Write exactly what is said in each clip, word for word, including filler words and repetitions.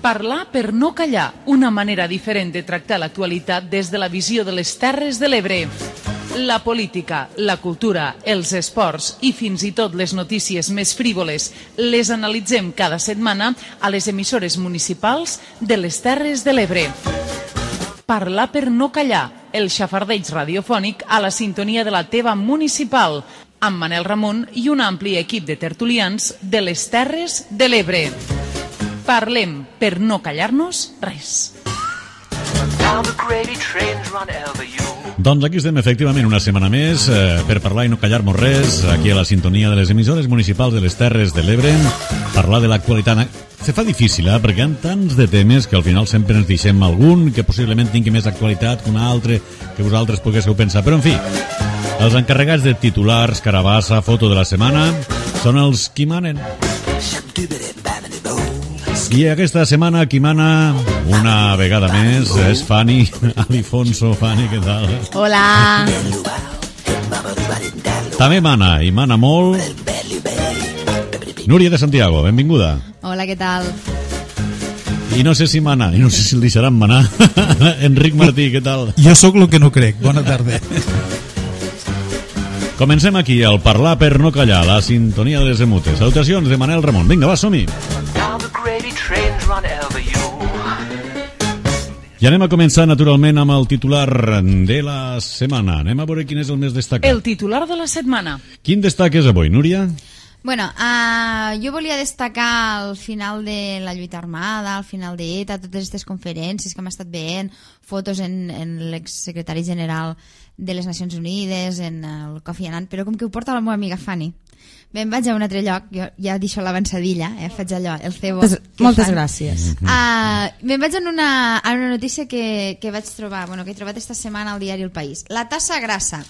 Parlar per no callar, una manera diferent de tractar l'actualitat des de la visió de les Terres de l'Ebre. La política, la cultura, els esports i fins i tot les notícies més frívoles les analitzem cada setmana a les emissores municipals de les Terres de l'Ebre. Parlar per no callar, el xafardeig radiofònic a la sintonia de la teva municipal, amb Manel Ramon i un ampli equip de tertulians de les Terres de l'Ebre. Parlem per no callar-nos res. Doncs aquí estem efectivament una setmana més eh, per parlar i no callar-nos res, aquí a la sintonia de les emissores municipals de les Terres de l'Ebre, parlar de l'actualitat. Se fa difícil, eh, perquè hi ha tants de temes que al final sempre ens deixem algun que possiblement tingui més actualitat que un altre, que vosaltres poguéssiu pensar, però en fi, els encarregats de titulars, carabassa, foto de la setmana són els qui manen. I aquesta setmana qui mana una vegada més és Fanny Alifonso. Fanny, què tal? Hola. També mana, i mana molt, Núria de Santiago, benvinguda. Hola, què tal? I no sé si mana, i no sé si el deixaran manar Enric Martí, què tal? Jo sóc el que no crec, bona tarda. Comencem aquí, al Parlar per no callar, la sintonia de les emutes. Salutacions de Manel Ramon. Vinga, va, som-hi. I anem a començar, naturalment, amb el titular de la setmana. Anem a veure quin és el més destacat. El titular de la setmana. Quin destaques avui, Núria? Bueno, uh, jo volia destacar el final de la lluita armada, el final d'ETA, totes aquestes conferències que hem estat veient, fotos en, en l'exsecretari general de les Nacions Unides, en el Kofi Annan, però com que ho porta la meva amiga Fanny, me'n vaig a un altre lloc, jo ja deixo l'avançadilla, eh, faig allò, el cebo. Moltes gràcies. Uh, me'n vaig en una, en una notícia que, que vaig trobar, bueno, que he trobat esta setmana al diari El País. La tassa grassa.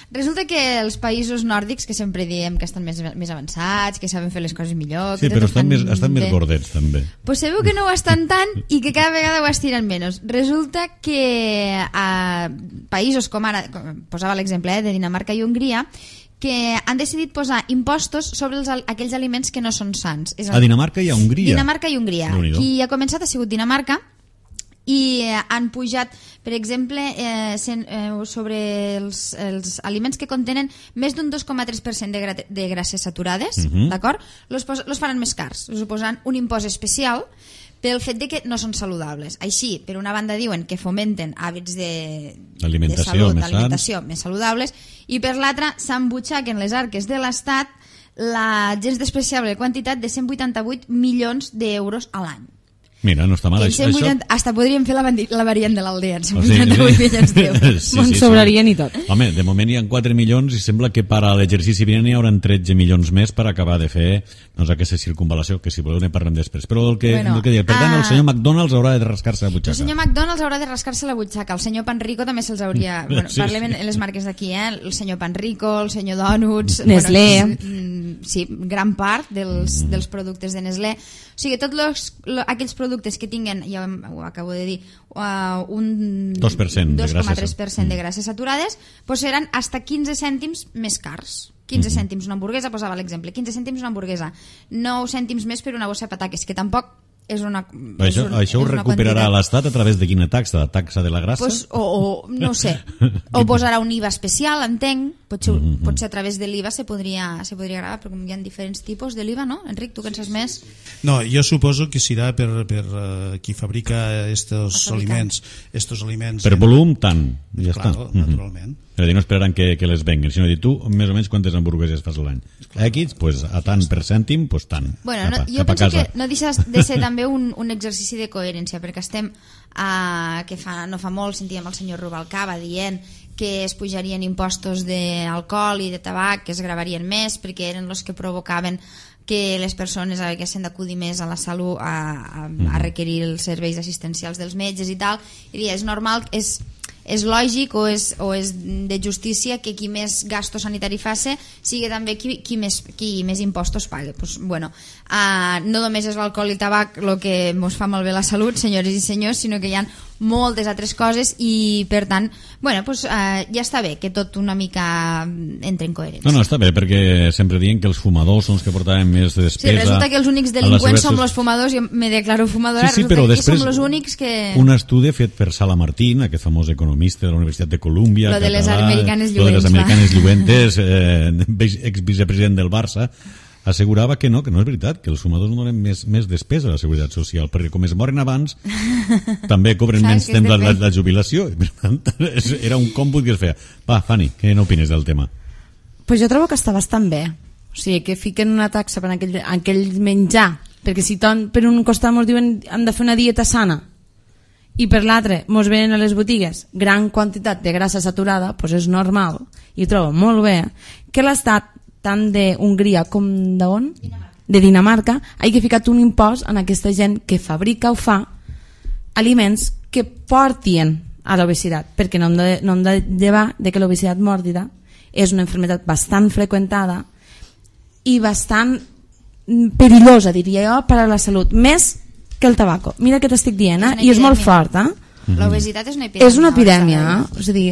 Resulta que els països nòrdics, que sempre diem que estan més, més avançats, que saben fer les coses millor... Sí, que però estan, estan més, estan més gordets, també. Pues sabeu que no ho estan tant i que cada vegada ho estiren menys. Resulta que a països com ara, com posava l'exemple eh, de Dinamarca i Hongria, que han decidit posar impostos sobre els, aquells aliments que no són sants. És a Dinamarca i a Hongria. Dinamarca i Hongria. Qui ha començat ha sigut Dinamarca, i eh, han pujat, per exemple, eh, sen, eh, sobre els, els aliments que contenen més d'un dos coma tres per cent de, gra de grasses saturades, uh-huh. d'acord? Los, los faran més cars, els posaran un impost especial pel fet de que no són saludables. Així, per una banda diuen que fomenten hàbits de, de salut, d'alimentació més saludables, i per l'altra s'embutxaquen les arques de l'Estat la gens despreciable quantitat de cent vuitanta-vuit milions d'euros a l'any. Mira, no està mal. Això, vuitanta, això... Hasta podríem fer la, la variant de l'aldea, cent vuitanta-vuit milions d'euros. Sí, sí, sobrarien sí. I tot. Home, de moment hi ha quatre milions i sembla que per a l'exercici vinent hi haurà tretze milions més per acabar de fer doncs, aquesta circunvalació, que si voleu ne parlem després. Però el que, bueno, el que dir, per tant, uh... el senyor McDonald's haurà de rascar-se la butxaca. El senyor McDonald's haurà de rascar-se la butxaca. El senyor Panrico també se'ls hauria... Bueno, sí, parlem sí. en les marques d'aquí, eh? El senyor Panrico, el senyor Donuts... Nestlé. Bueno, sí, gran part dels, mm. dels productes de Nestlé. O sigui, tots los, lo, aquells productes que tinguen, ja ho acabo de dir, uh, un dos per cent dos coma tres per cent de grasses saturades, pues seran hasta quinze cèntims més cars. quinze mm-hmm. cèntims una hamburguesa, posava l'exemple, quinze cèntims una hamburguesa, nou cèntims més per una bossa de pataques, que tampoc és una... És això un, això ho recuperarà l'Estat a través de quina taxa? La taxa de la grassa? Pues, o, o no sé, o posarà un I V A especial, entenc, potser, mm-hmm. potser a través de l'I V A se podria, se podria gravar, però com hi ha diferents tipus de l'I V A, no? Enric, tu que en saps més? No, jo suposo que serà per, per uh, qui fabrica estos aliments, estos aliments... Per en... volum, tant, ja claro, està. Naturalment. Mm-hmm. És a dir, no esperaran que, que les venguen, sinó dir, tu, més o menys, quantes hamburgueses fas l'any? X, pues, a tant per cèntim, pues tant. Bueno, cap a, no, jo cap penso que no deixa de ser també un, un exercici de coherència, perquè estem, uh, que fa, no fa molt, sentíem el senyor Rubalcaba dient que es pujarien impostos d'alcohol i de tabac, que es gravarien més, perquè eren els que provocaven que les persones haguessin d'acudir més a la salut, a, a, a requerir els serveis assistencials dels metges i tal, i dir, és normal, és... és lògic o és, o és de justícia que qui més gasto sanitari faci sigui també qui, qui, més, qui més impostos pague. Pues, bueno, uh, no només és l'alcohol i el tabac el que ens fa malbé la salut, senyores i senyors, sinó que hi ha moltes altres coses i per tant, bueno, pues, eh, ja està bé que tot una mica entre en coherència. No, no, està bé, perquè sempre diuen que els fumadors són els que portaven més despesa. Sí, resulta que els únics delinqüents som els fumadors, jo me declaro fumadora, sí, sí, resulta però que després som els únics que... Un estudi fet per Sala Martín, aquest famós economista de la Universitat de Colúmbia, lo de les català, americanes lo de les lluents, americanes lluentes, eh, ex-vicepresident del Barça, assegurava que no, que no és veritat, que els fumadors no donen més, més despesa a la seguretat social, perquè com es moren abans, també cobren menys temps la, la, la jubilació. Per tant, era un còmput que es feia. Va, Fanny, què n'opines del tema? Pues jo trobo que està bastant bé. O sigui, que fiquen una taxa per aquell, aquell menjar, perquè si ton, per un costat ens diuen hem de fer una dieta sana i per l'altre ens venen a les botigues gran quantitat de grassa saturada, doncs és normal, i trobo molt bé que l'Estat, tant d'Hongria com d'on? De Dinamarca, hagi ficat un impost en aquesta gent que fabrica o fa aliments que portien a l'obesitat, perquè no hem de, no hem de llevar de que l'obesitat mòrbida és una malaltia bastant freqüentada i bastant perillosa, diria jo, per a la salut, més que el tabaco. Mira què t'estic dient, eh? I és molt fort, eh? L'obesitat és una epidèmia. És una epidèmia, eh? És a dir...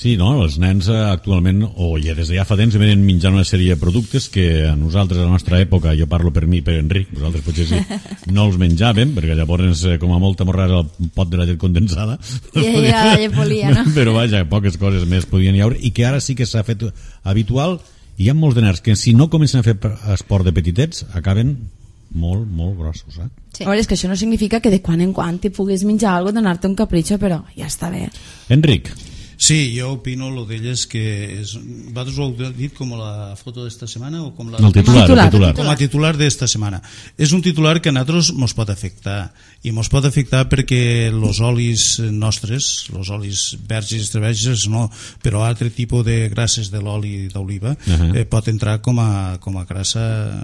Sí, no, els nens actualment, o ja des de ja fa temps, venen menjant una sèrie de productes que a nosaltres, a la nostra època, jo parlo per mi i per Enric, vosaltres potser sí, no els menjàvem, perquè llavors, com a molta morrada, el pot de la llet condensada. I ja la llet polia, no? Però vaja, poques coses més podien hi haure, i que ara sí que s'ha fet habitual, i hi ha molts de nens que si no comencen a fer esport de petitets, acaben molt, molt grossos, eh? Sí. A veure, és que això no significa que de quan en quan t'hi puguis menjar alguna cosa, donar-te un capritxo, però ja està bé. Enric. Sí, jo opino lo d'elles que és, vosaltres ho heu dit com la foto d'esta setmana o com la... El titular, titular, el titular. Com a titular d'esta setmana. És un titular que a nosaltres mos pot afectar, i mos pot afectar perquè els olis nostres, els olis verds i extraverges no, però altre tipus de grasses de l'oli d'oliva uh-huh. eh, pot entrar com a, com a grassa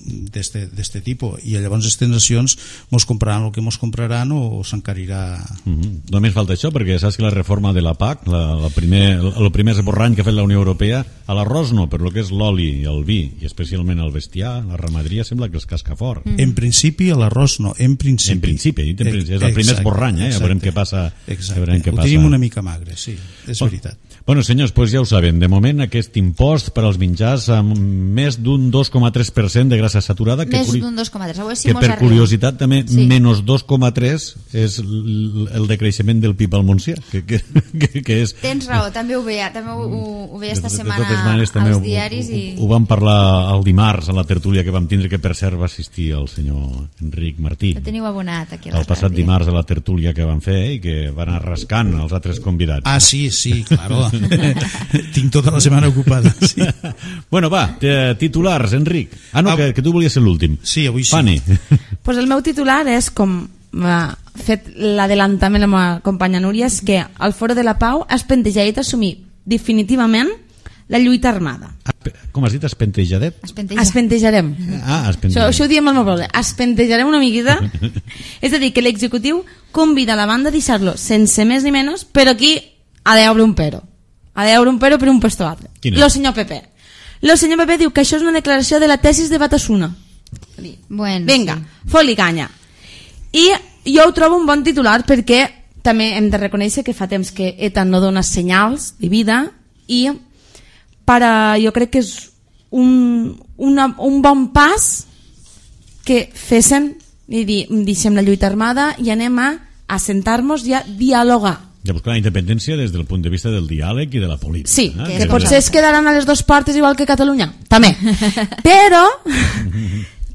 d'este tipus, i llavors les nacions mos compraran el que mos compraran o s'encarirà. Uh-huh. Només falta això, perquè saps que la reforma de la P A C, la, la primer, el primer esborrany que ha fet la Unió Europea, a l'arròs no, però el que és l'oli i el vi, i especialment el bestiar, la ramaderia, sembla que els casca fort. Mm. En principi a l'arròs no, en principi. En principi, en principi. És el primer esborrany, eh? Ja veurem què passa. Exacte, què ho passa. tenim una mica magre, sí, és bueno, veritat. Bueno, senyors, pues ja ho saben, de moment aquest impost per als menjars amb més d'un dos coma tres per cent de grassa saturada, que, més curi... d'un dos coma tres, si que per arriba. Curiositat també sí. menys dos coma tres és el decreixement del P I B al Montsià, que, que, que, que és... Tens raó, també ho veia, també ho, ho, ho veia esta de, setmana de maneres, als ho, diaris. Ho, i... ho, ho vam parlar el dimarts a la tertúlia que vam tindre, que per cert va assistir el senyor Enric Martí. Ho teniu abonat aquí. El passat dimarts a la tertúlia que van fer i que van anar rascant els altres convidats. Ah, sí, sí, claro. Tinc tota la setmana ocupada. Sí. Bueno, va, titulars, Enric. Ah, no, ah, que, que tu volies ser l'últim. Sí, avui sí. Fanny. Pues el meu titular és, com ha fet l'adelantament la meva companya Núria, és que el Foro de la Pau es pentejadet assumir definitivament la lluita armada. Com has dit, espentejadet? Espenteja. Espentejarem. Ah, espentejarem. Això, això ho diem al meu poble. Espentejarem una miqueta. És a dir, que l'executiu convida la banda a deixar-lo sense més ni menys, però aquí ha d'haver un pero. Ha d'haver un pero per un puesto altre. Lo senyor Pepe. Lo senyor Pepe diu que això és una declaració de la tesis de Batasuna. Bueno, vinga, sí. fot-li canya. I jo ho trobo un bon titular perquè també hem de reconèixer que fa temps que ETA no dona senyals de vida i para, jo crec que és un, una, un bon pas que fesen i dir, deixem la lluita armada i anem a assentar-nos i a dialogar. I a buscar la independència des del punt de vista del diàleg i de la política. Sí, eh? que, que potser es quedaran a les dues portes igual que Catalunya, també. Però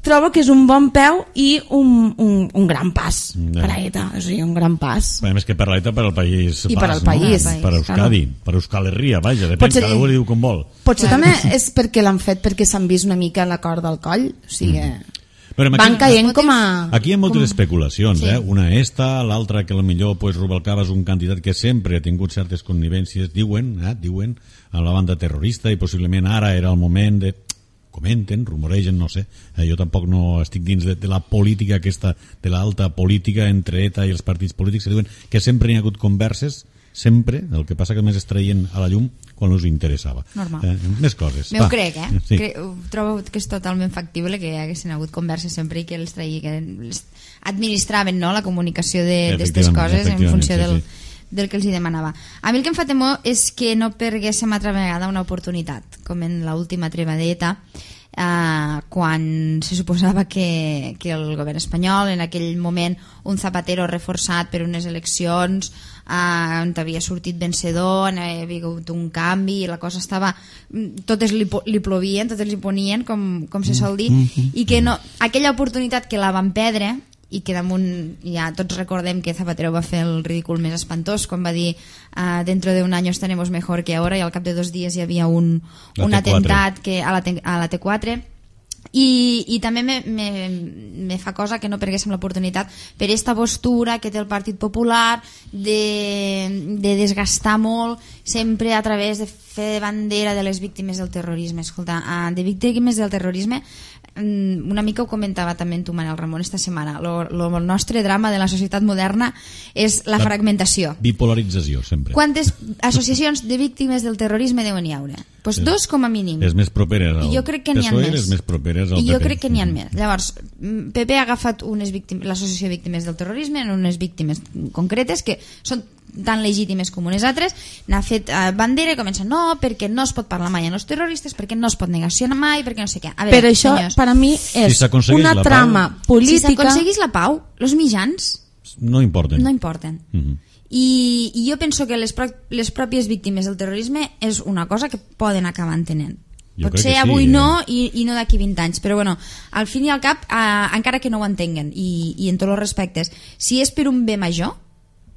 trobo que és un bon peu i un, un, un gran pas no. per a ETA, o sigui, un gran pas. A més que per l'ETA, per al país I pas, per al no? país. Per Euskadi, claro. per Euskal Herria, vaja, depèn, potser, cada un li diu com vol. Potser també és perquè l'han fet perquè s'han vist una mica la corda al coll, o sigui... Mm. Però aquí, van caient com a... Aquí hi ha moltes com... especulacions, sí. eh? Una esta, l'altra que potser pues, Rubalcaba és un candidat que sempre ha tingut certes connivències, diuen, eh? diuen, a la banda terrorista, i possiblement ara era el moment de... comenten, rumoregen, no sé, eh, jo tampoc no estic dins de, de la política aquesta, de l'alta política entre ETA i els partits polítics, que diuen que sempre hi ha hagut converses sempre, el que passa que més es traien a la llum quan us interessava. Normal. Eh, més coses. Me ho crec, eh? Sí. Cre trobo que és totalment factible que hi haguessin hagut converses sempre i que els traï, que els administraven, no?, la comunicació d'aquestes coses en funció sí, del, sí. del que els hi demanava. A mi el que em fa temor és que no perguéssim altra vegada una oportunitat, com en l'última treva d'ETA, eh, quan se suposava que, que el govern espanyol, en aquell moment un Zapatero reforçat per unes eleccions, eh, on havia sortit vencedor, havia hagut un canvi, la cosa estava, totes li, li plovien, totes li ponien, com, com se sol dir, i que no, aquella oportunitat que la van perdre, i que damunt ja tots recordem que Zapatero va fer el ridícul més espantós quan va dir uh, dentro de un any estaremos mejor que ahora, i al cap de dos dies hi havia un, un atemptat que, a, la T, a la T quatre, i, i també me, me, me fa cosa que no perguéssim l'oportunitat per aquesta postura que té el Partit Popular de, de desgastar molt sempre a través de fer bandera de les víctimes del terrorisme. Escolta, uh, de víctimes del terrorisme una mica ho comentava també tu, Manel Ramon, esta setmana. Lo, lo, el nostre drama de la societat moderna és la, la fragmentació. Bipolarització, sempre. Quantes associacions de víctimes del terrorisme deuen hi haure? Pues dos com a mínim. Les més properes al jo crec que n'hi ha P S O E, més. les més properes al I P P. jo crec que n'hi ha més. Llavors, P P ha agafat l'associació de víctimes del terrorisme en unes víctimes concretes que són tan legítimes com unes altres, n'ha fet eh, bandera i comença, no, perquè no es pot parlar mai amb els terroristes, perquè no es pot negacionar mai, perquè no sé què. A veure, però això, senyors, per a mi, és si una trama pau, política... Si s'aconseguís la pau, els mitjans no importen. No importen. Uh -huh. I, I jo penso que les, pro les pròpies víctimes del terrorisme és una cosa que poden acabar entenent. Jo potser avui sí, no i, i no d'aquí vint anys, però bueno, al fin i al cap, eh, encara que no ho entenguen, i, i en tots els respectes, si és per un bé major,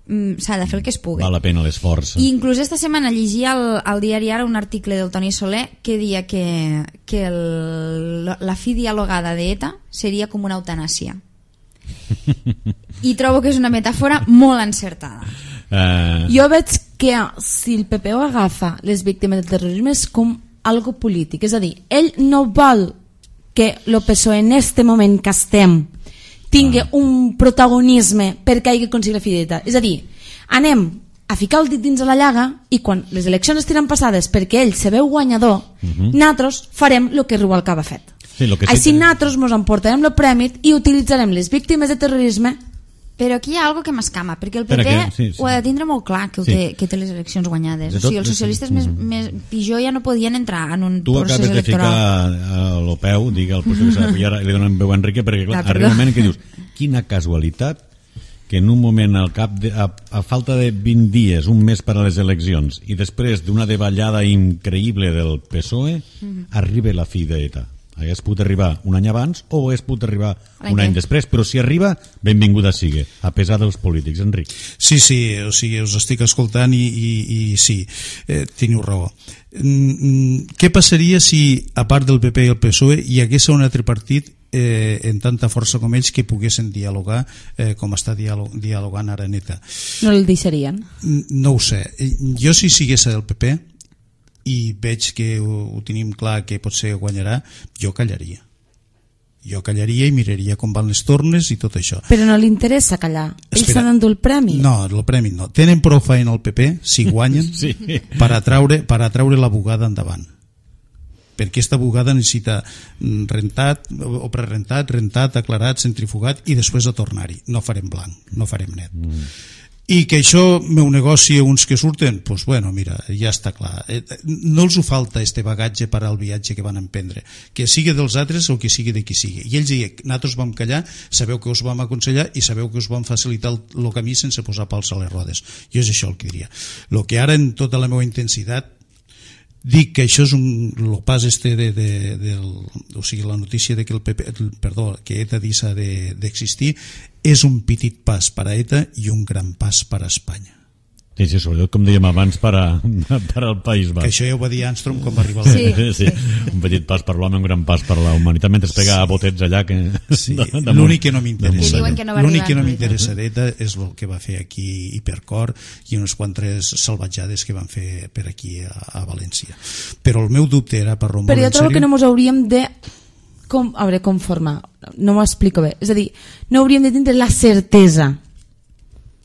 s'ha de fer el que es pugui. Val la pena l'esforç. I inclús esta setmana llegia al, al diari Ara un article del Toni Soler que deia que, que el, la fi dialogada d'ETA seria com una eutanàsia. I trobo que és una metàfora molt encertada. Uh... Jo veig que si el P P O agafa les víctimes del terrorisme és com algo polític, és a dir, ell no vol que el P S O E en este moment que estem tingui ah. un protagonisme perquè hagi aconseguit la fidelitat. És a dir, anem a ficar el dit dins de la llaga i quan les eleccions estiran passades perquè ell se veu guanyador, uh -huh. nosaltres farem el que Rubalcaba ha fet. Sí, lo que Així sí que... nosaltres ens emportarem el premi i utilitzarem les víctimes de terrorisme. Però aquí hi ha algo que m'escama, perquè el P P que, sí, sí. ho ha de tindre molt clar que, sí. té, que té les eleccions guanyades. Tot, o sigui, els socialistes sí. més, més pitjor ja no podien entrar en un tu procés electoral. Tu acabes de ficar a l'Opeu, digue el procés electoral, i ara li donen veu a Enrique, perquè clar, arriba un moment que dius, quina casualitat que en un moment al cap de, a, a falta de vint dies, un mes per a les eleccions, i després d'una davallada increïble del P S O E, uh-huh. arriba la fi d'ETA. Hagués pogut arribar un any abans o hagués pogut arribar un any després, però si arriba, benvinguda sigui, a pesar dels polítics. Enric. Sí, sí, o sigui, us estic escoltant i, i, i sí, eh, teniu raó. Mm, què passaria si, a part del P P i el P S O E, hi hagués un altre partit eh, en tanta força com ells que poguessin dialogar eh, com està dialog dialogant ara neta? No el deixarien? No ho sé. Jo si sigués el P P i veig que ho, ho tenim clar que potser guanyarà, jo callaria. Jo callaria i miraria com van les tornes i tot això. Però no li interessa callar. Ells s'han endut el premi. No, el premi no. Tenen prou feina al P P, si guanyen, sí. per atraure, per atraure la bugada endavant. Perquè aquesta bugada necessita rentat o prerentat, rentat, aclarat, centrifugat i després a tornar-hi. No farem blanc, no farem net. Mm. I que això meu negoci uns que surten, doncs pues bueno, mira, ja està clar. No els ho falta este bagatge per al viatge que van emprendre, que sigui dels altres o que sigui de qui sigui. I ells diuen, nosaltres vam callar, sabeu que us vam aconsellar i sabeu que us vam facilitar el, el camí sense posar pals a les rodes. Jo és això el que diria. El que ara en tota la meva intensitat dic que això és un, el pas este de, de, de, o sigui, la notícia de que el P P, el, perdó, que ETA deixa d'existir, és un petit pas per a ETA i un gran pas per a Espanya. Sí, sí, sobretot, com dèiem abans, per, a, per al País Basc. Que això ja ho va dir Armstrong quan va arribar al sí. sí, un petit pas per l'home, un gran pas per la humanitat, mentre es pega sí. a botets allà. Que... Sí. L'únic que no m'interessa no l'únic que no m'interessa d'ETA és el que va fer aquí Hipercor i unes quantes salvatjades que van fer per aquí a, a València. Però el meu dubte era per Romero. Però jo trobo que no ens hauríem de com, a veure, conformar, no m'ho explico bé, és a dir, no hauríem de tindre la certesa.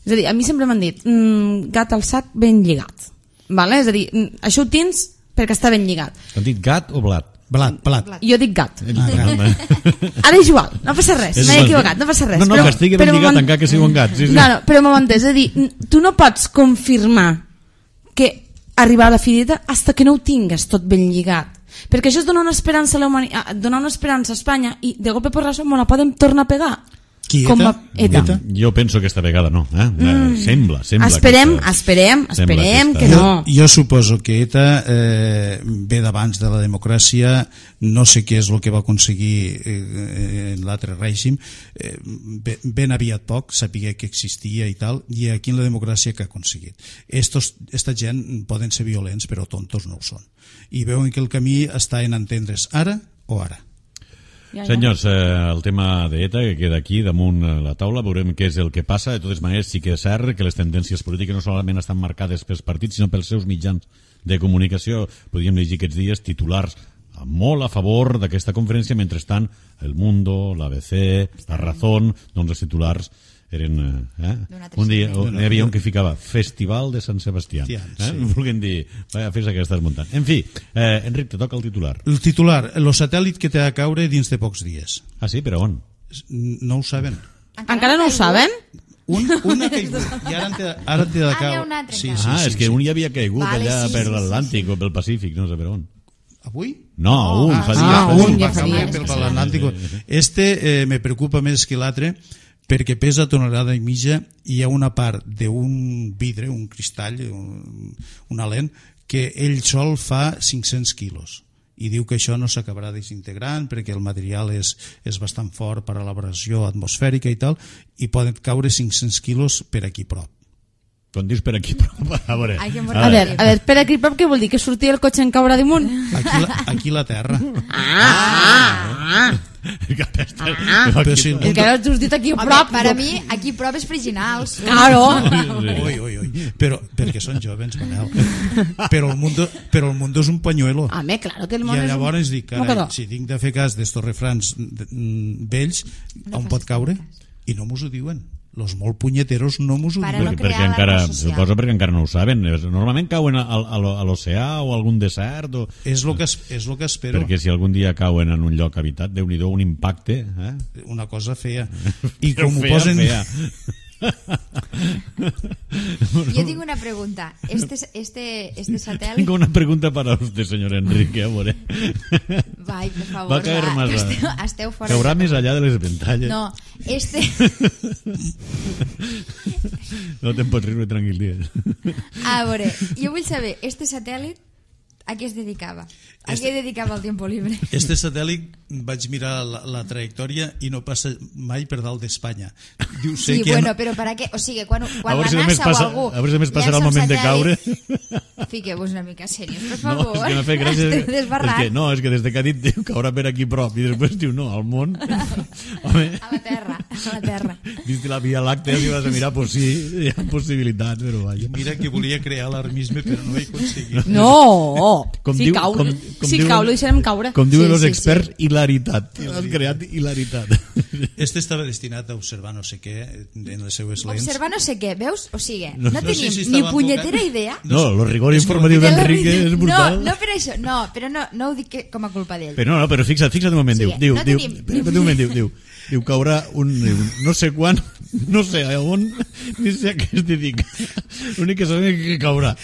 És És a dir, a mi sempre m'han dit mm, gat al sac ben lligat, vale? És a dir, això ho tens perquè està ben lligat. T'han dit gat o blat? Blat, blat. Jo dic gat. Ah, gat. Ara és igual, no passa res, m'he equivocat, no passa res. No, no, però, que estigui ben lligat encara que sigui un gat. Sí, sí. No, no, però m'ho entès, és a dir, tu no pots confirmar que arribar a la fideta hasta que no ho tingues tot ben lligat, perquè això és donar una esperança a la humanitat, donar una esperança a Espanya i de cop i porrasso me la podem tornar a pegar. Qui, com ETA? a ETA. ETA? Jo penso que esta vegada no. Eh? Mm. Sembla, sembla. Esperem, que esperem, esperem que, que no. Jo, jo suposo que ETA eh, ve d'abans de la democràcia, no sé què és el que va aconseguir eh, l'altre règim, eh, ben aviat poc, sapigué que existia i tal, i aquí en la democràcia que ha aconseguit. Estos, esta gent poden ser violents, però tontos no ho són. I veuen que el camí està en entendre's ara o ara. Ja, ja. Senyors, eh, el tema d'ETA que queda aquí damunt la taula, veurem què és el que passa. De totes maneres, sí que és cert que les tendències polítiques no solament estan marcades pels partits, sinó pels seus mitjans de comunicació. Podríem llegir aquests dies titulars molt a favor d'aquesta conferència, mentrestant El Mundo, l'A B C, La Razón, doncs els titulars eren... Eh? Un dia hi havia un que ficava Festival de Sant Sebastià. Eh? Sí. Volguem dir, vaya festa que estàs muntant. En fi, eh, Enric, te toca el titular. El titular, el satèl·lit que té a caure dins de pocs dies. Ah, sí? Però on? No ho saben. Encara no ho saben? Un, un ha caigut i ara té, ara té de Ah, n'hi ha caure. un altre Sí, encara. sí, Ah, sí, és que sí. un ja havia caigut Vale, allà sí, per sí, sí, l'Atlàntic o pel Pacífic, no sé per on. Avui? No, un, Ah, fa sí, dies. ah, fa un, dies. ja fa dies. Per l'Atlàntic. Este eh, me preocupa més que l'altre perquè pesa tonelada i mitja i hi ha una part d'un vidre, un cristall, un, una lent, que ell sol fa cinc-cents quilos. I diu que això no s'acabarà desintegrant perquè el material és, és bastant fort per a l'elaboració atmosfèrica i tal, i poden caure cinc-cents quilos per aquí prop. Quan dius per aquí, però, a veure... Ai, que A veure, a veure, per aquí prop què vol dir? Que sortir el cotxe en caure damunt? Aquí la, aquí la terra. Ah, ah, ah. Ah, Però si el el que has dit aquí a Home, prop. per a mi, aquí proves friginals. Claro. Ui, ui, ui. Però, perquè són jovens, Manel. Però el mundo, però el mundo és un pañuelo. Home, claro que el món I és un- llavors dic, carai, mocador. si tinc de fer cas d'estos refrans mm, vells, on pot caure? I no mos ho diuen. Los molt punyeteros no mos ho Para diuen. no perquè, perquè crear encara, alarma social. suposo perquè encara no ho saben. Normalment cauen a, a, a l'oceà o a algun desert o... És el que, es- és lo que espero. Perquè si algun dia cauen en un lloc habitat, Déu-n'hi-do, un impacte, eh? Una cosa fea. I Però com ho fea, posen... fea. Jo tinc una pregunta. Este, este, este satèl·lit... Tengo una pregunta para usted, señor Enrique, a veure. Vai, per favor, Va a caer va, más. que a- esteu, esteu fora. Caurà de- més allà de les ventalles. No, este... No te'n pots riure tranquil, digues. A veure, jo vull saber, este satèl·lit a què es dedicava? A Este- què dedicava el tiempo libre? Este satèl·lit vaig mirar la, la trajectòria i no passa mai per dalt d'Espanya. Diu, sé Sí, que bueno, no... però per a què? O sigui, quan, A quan veure la si només NASA passa- o algú... a veure si només passarà el llança un moment de caure. satèl·lit, Fiqueu-vos una mica serios, per No, favor. és que m'ha fet gràcia. Esteu És desbarrant. que, no, és que des de que ha dit diu caurà per aquí prop i després diu no, al món. Home, A la terra, a la terra. vist la Via Làctea, si vas a mirar, pues sí, hi ha possibilitats, però vaja. Mira que volia crear alarmisme, però no ho he aconseguit. No, Com si diu- cau, com- com si diuen- cau lo deixarem caure. Com diuen Sí, els sí, experts, hilaritat. Has creat hilaritat. Este estava destinat a observar no sé què en les seues lents. Observar no sé què, veus? O sigui, no, no sé tenim si ni estava punyetera enfocat. idea. No, el rigor és que informatiu de la d'Enrique vida. és brutal. No, no per això, no, però no, no ho dic que, com a culpa d'ell. Però no, no, però fixa't, fixa't un moment, Sí, diu, diu, no diu, tenim- espera un moment, diu, diu, diu, caurà un, diu, no sé quan, no sé a on, ni sé a què es dedica. L'únic que sabem és que caurà.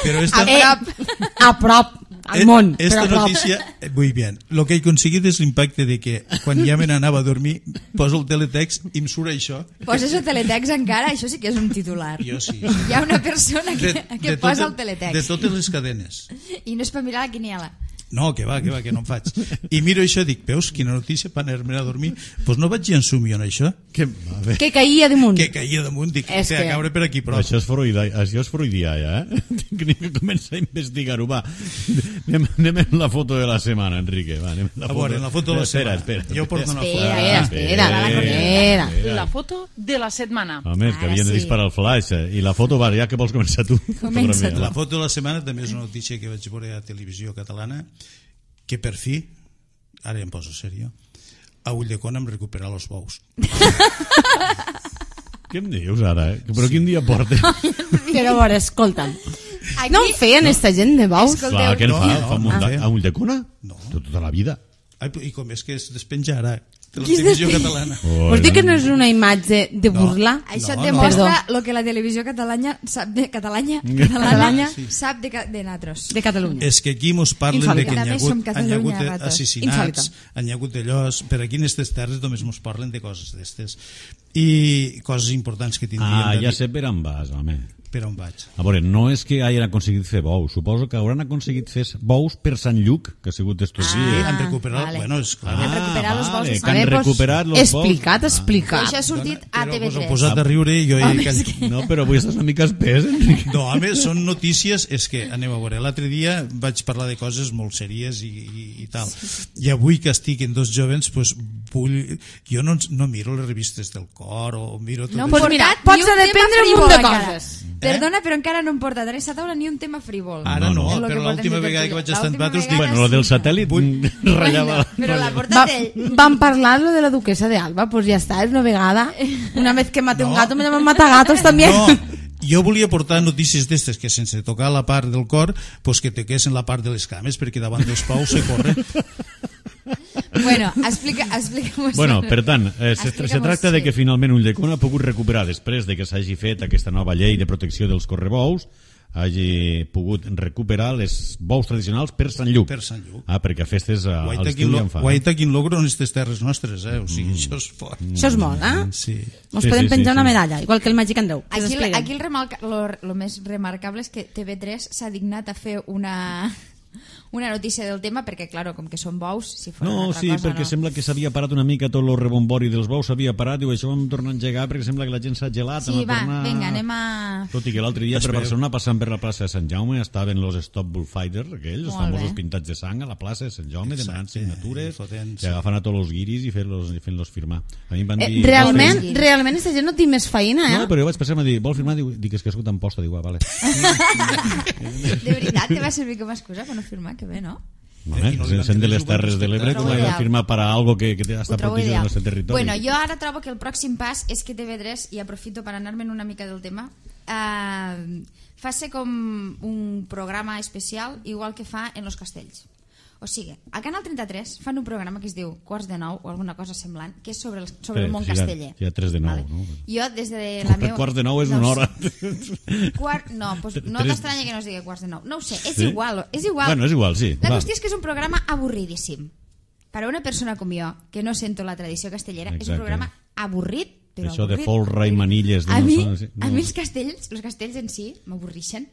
Però esta, Eh, a prop, al món, però esta a prop. notícia, eh, muy bien, lo que he aconseguit és l'impacte de que quan ja me n'anava a dormir poso el teletext i em surt això. Poses el teletext encara, això sí que és un titular. Jo sí. Hi ha una persona que, que tot- posa el de teletext totes les cadenes. i no és per mirar la quiniela. No, que va, que va, que no em faig. I miro això i dic, veus, quina notícia per anar-me a dormir. Doncs pues no vaig ensumir en això, Que, a veure, Que caïa damunt. que caia damunt, dic, És que a que- caure per aquí prop. això és freudià, això és freudià, ja, eh? Tinc que començar a investigar-ho, va. Anem, anem amb la foto de la setmana, Enrique, va, anem amb la A foto. veure, en la foto de la espera, setmana. Espera, Jo porto una foto. Espera, espera, espera, espera. La foto de la setmana. Home, és que Ara havien de sí. disparar el flash. eh? I la foto, va, ja que vols començar tu. Comença tu. La foto de la setmana també és una notícia que vaig veure a Televisió Catalana, que per fi, ara em poso serio, a Ulldecona em recupera els bous. Què em dius ara, eh? Però quin dia portes? Però a veure, escolta'm. Aquí... No en feien esta gent de bous? Clar, què en No, fa? no, Fa no, munta- no. a Ulldecona? No. Tota la vida. Ai, i com és que es despenjarà de la Qui es televisió despenja? catalana. Oh, Vols dir que no és una imatge de No. burla? Això No, et no. demostra Perdó. el que la televisió catalana sap de Catalanya, Catalanya. catalana sap de, ca- de natros. De Catalunya. És que aquí mos parlen de Insòlita. que hi ha També som hagut, hi ha Catalunya, hagut ratos. assassinats, Insòlita. hi ha hagut d'allòs, per aquí en aquestes terres només mos parlen de coses d'estes i coses importants que tindríem Ah, de ja dir. sé per on vas, home. Per on vaig? A veure, no és que hagin aconseguit fer bous, suposo que hauran aconseguit fer bous per Sant Lluc, que ha sigut estos Sí, dies. han recuperat, vale. bueno, és clar. Han recuperat los bous de que Sant han Lluc. recuperat los bous. Explicat, Ah. explicat. Això ha sortit a Però T V us heu tres. posat a riure i jo he callat. No, però avui estàs una mica espès, Enric. No, home, són notícies, és que, anem a veure, l'altre dia vaig parlar de coses molt sèries i, i, i tal, i avui que estic en dos jovens, pues, vull, jo no, no miro les revistes del cor o miro tot No hem Pues això. mira, portat pots ni un tema dependre un frívol munt de encara. coses. Perdona, però encara no hem portat a aquesta taula ni un tema frívol. Ara no, És lo que però portem l'última de vegada que vaig estar en L'última Batos vegada Bueno, lo del sí. satèl·lit ratllava. Però l'ha Va, portat ell. van parlar lo de la duquesa de Alba, pues ya está, es una vegada. Una vez que mate un No. gato, me llaman matagatos también. No, jo volia portar notícies d'estes que sense tocar la part del cor pues que toquessin la part de les cames perquè davant dels paus se corre. Bueno, explica, explica-mos. Bueno, per tant, eh, se, Explica'm-ho, se tracta de sí. que finalment Ulldecona ha pogut recuperar, després de que s'hagi fet aquesta nova llei de protecció dels correbous, hagi pogut recuperar les bous tradicionals per Sant Lluc. Per Sant Lluc. Ah, perquè a festes a, a Guaita l'estiu quin, ja lo, en fa. guaita quin logro en aquestes terres nostres, eh? O sigui, això és fort. Això és molt, eh? Sí. Nos Sí, podem sí, penjar sí, una sí. medalla, igual que el Màgic Andreu. que Aquí, s'expliquen. aquí el, remarca, lo, lo més remarcable és que T V tres s'ha dignat a fer una, una notícia del tema perquè, claro, com que són bous, si fos una No, altra sí, cosa, perquè no. sembla que s'havia parat una mica tot el rebombori dels bous, s'havia parat, diu, això ho hem tornat a engegar perquè sembla que la gent s'ha gelat. Sí, hem de va, tornar... vinga, anem a... Tot i que l'altre dia per Espero. Barcelona, passant per la plaça de Sant Jaume, estaven los Stop Bullfighter, aquells, els Molt famosos bé. pintats de sang a la plaça de Sant Jaume, Exacte, demanant signatures, i fotent, i sí. agafant a tots els guiris i fent-los fent firmar. A mi em van Eh, dir... realment, Sí. realment, aquesta gent no té més feina, eh? No, però jo vaig passar a dir, vol firmar? Diu, dic, és que escolta en posta. Diu, ah, vale. De veritat, te va servir com a excusa per no firmar? Que bé, no? No, I eh? no li van Sent de les dir, ho van Terres de l'Ebre, respectar. com ha de Ideal. firmar per a algo que, que Ho està trobo protegit ideal. del nostre territori? Bueno, jo ara trobo que el pròxim pas és que T V tres, i aprofito per anar-me'n una mica del tema, eh, faci com un programa especial igual que fa en Los Castells. O sigui, al Canal trenta-tres fan un programa que es diu Quarts de Nou o alguna cosa semblant, que és sobre el, sobre Sí, el món sí, hi ha- casteller. hi ha tres de nou, no? Jo des de Com la per meva... quarts de nou és no una ho hora. sé. Quart... No, pues no Tres- t'estranya que no es digui Quarts de Nou. No ho sé, és Sí? igual, és igual. Bueno, és igual, sí. La va. qüestió és que és un programa avorridíssim. Per a una persona com jo, que no sento la tradició castellera, és Exacte. un programa avorrit, però Això de avorrit. folre i manilles, de A no mi, són- sí, no. a mi els castells, els castells en si, m'avorrixen.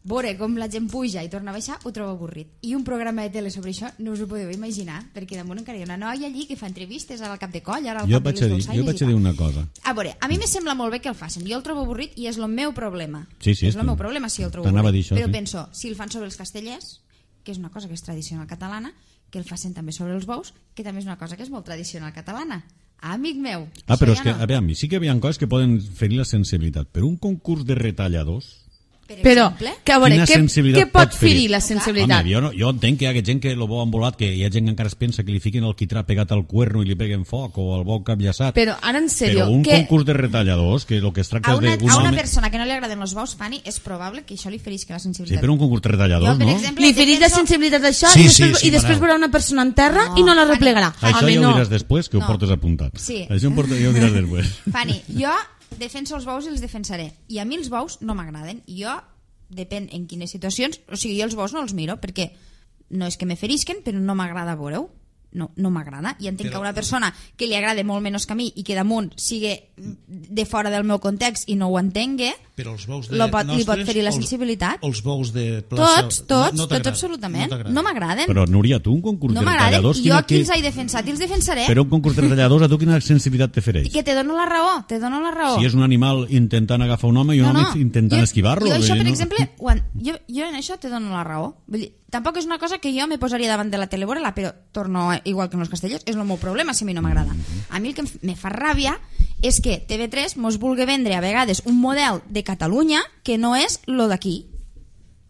Veure com la gent puja i torna a baixar, ho trobo avorrit. I un programa de tele sobre això no us ho podeu imaginar, perquè damunt encara hi ha una noia allí que fa entrevistes ara al cap de coll, ara al Jo cap vaig de a les dir, dolçaines jo vaig i a dir tal. una cosa. A veure, a mi me sembla molt bé que el facin. Jo el trobo avorrit i és el meu problema. Sí, sí, és és el meu tu. problema si el trobo T'anava a avorrit. dir això, Però sí. penso, si el fan sobre els castellers, que és una cosa que és tradicional catalana, que el facin també sobre els bous, que també és una cosa que és molt tradicional catalana. Amic meu. Ah, això però ja és que, no. a veure, sí que hi havia coses que poden ferir la sensibilitat, però un concurs de retalladors... Per Però, exemple, que a veure, Quina què, sensibilitat què pot pot ferir? ferir la sensibilitat? Home, jo, no, jo entenc que hi ha gent que lo bo embolat, que hi ha gent que encara es pensa que li fiquen el quitrà pegat al cuerno i li peguen foc, o el bo capllaçat. Però ara, en sèrio, Però un que... concurs de retalladors, que el que es tracta a una, és d'un a una home... persona que no li agraden els bous, Fanny, és probable que això li ferisca la Sí, sensibilitat. però un concurs de retalladors, Jo, per no? exemple, Li ferit la defenso- sensibilitat d'això Sí, i sí, després, sí, i després Manel. veurà una persona en terra No, i no la Fanny. replegarà. Això Home, ja ho no. diràs després, que ho No. portes apuntat. Sí. Això ho portes, ja ho diràs després. Fanny, jo defenso els bous i els defensaré. I a mi els bous no m'agraden. I jo, depèn en quines situacions, o sigui, jo els bous no els miro perquè no és que me ferisquen, però no m'agrada veure-ho. No, no m'agrada. I entenc Però- que a una persona que li agrada molt menys que a mi i que damunt sigui de fora del meu context i no ho entengui, Però els bous de Lo pot- li pot nostres, ferir la els- sensibilitat. Els bous de plaça... tots, tots, no, no tots t'agrada, absolutament. t'agrada. No m'agraden. Però, Núria, tu un concurs No de m'agraden. retalladors... Jo quina- qui els he defensat i els defensaré. Però un concurs de retalladors, a tu quina sensibilitat te fereix? I que te dono la raó, te dono la raó. Si és un animal intentant agafar un home i un home intentant jo, esquivar-lo... Jo, això, vull per dir, no? exemple, quan, jo, jo en això te dono la raó. Vull dir, tampoc és una cosa que jo me posaria davant de la tele, veure-la, però torno a- igual que en els castellers, és el meu problema si a mi no m'agrada. A mi el que em f- me fa ràbia és que T V tres mos vulgui vendre a vegades un model de Catalunya que no és lo d'aquí.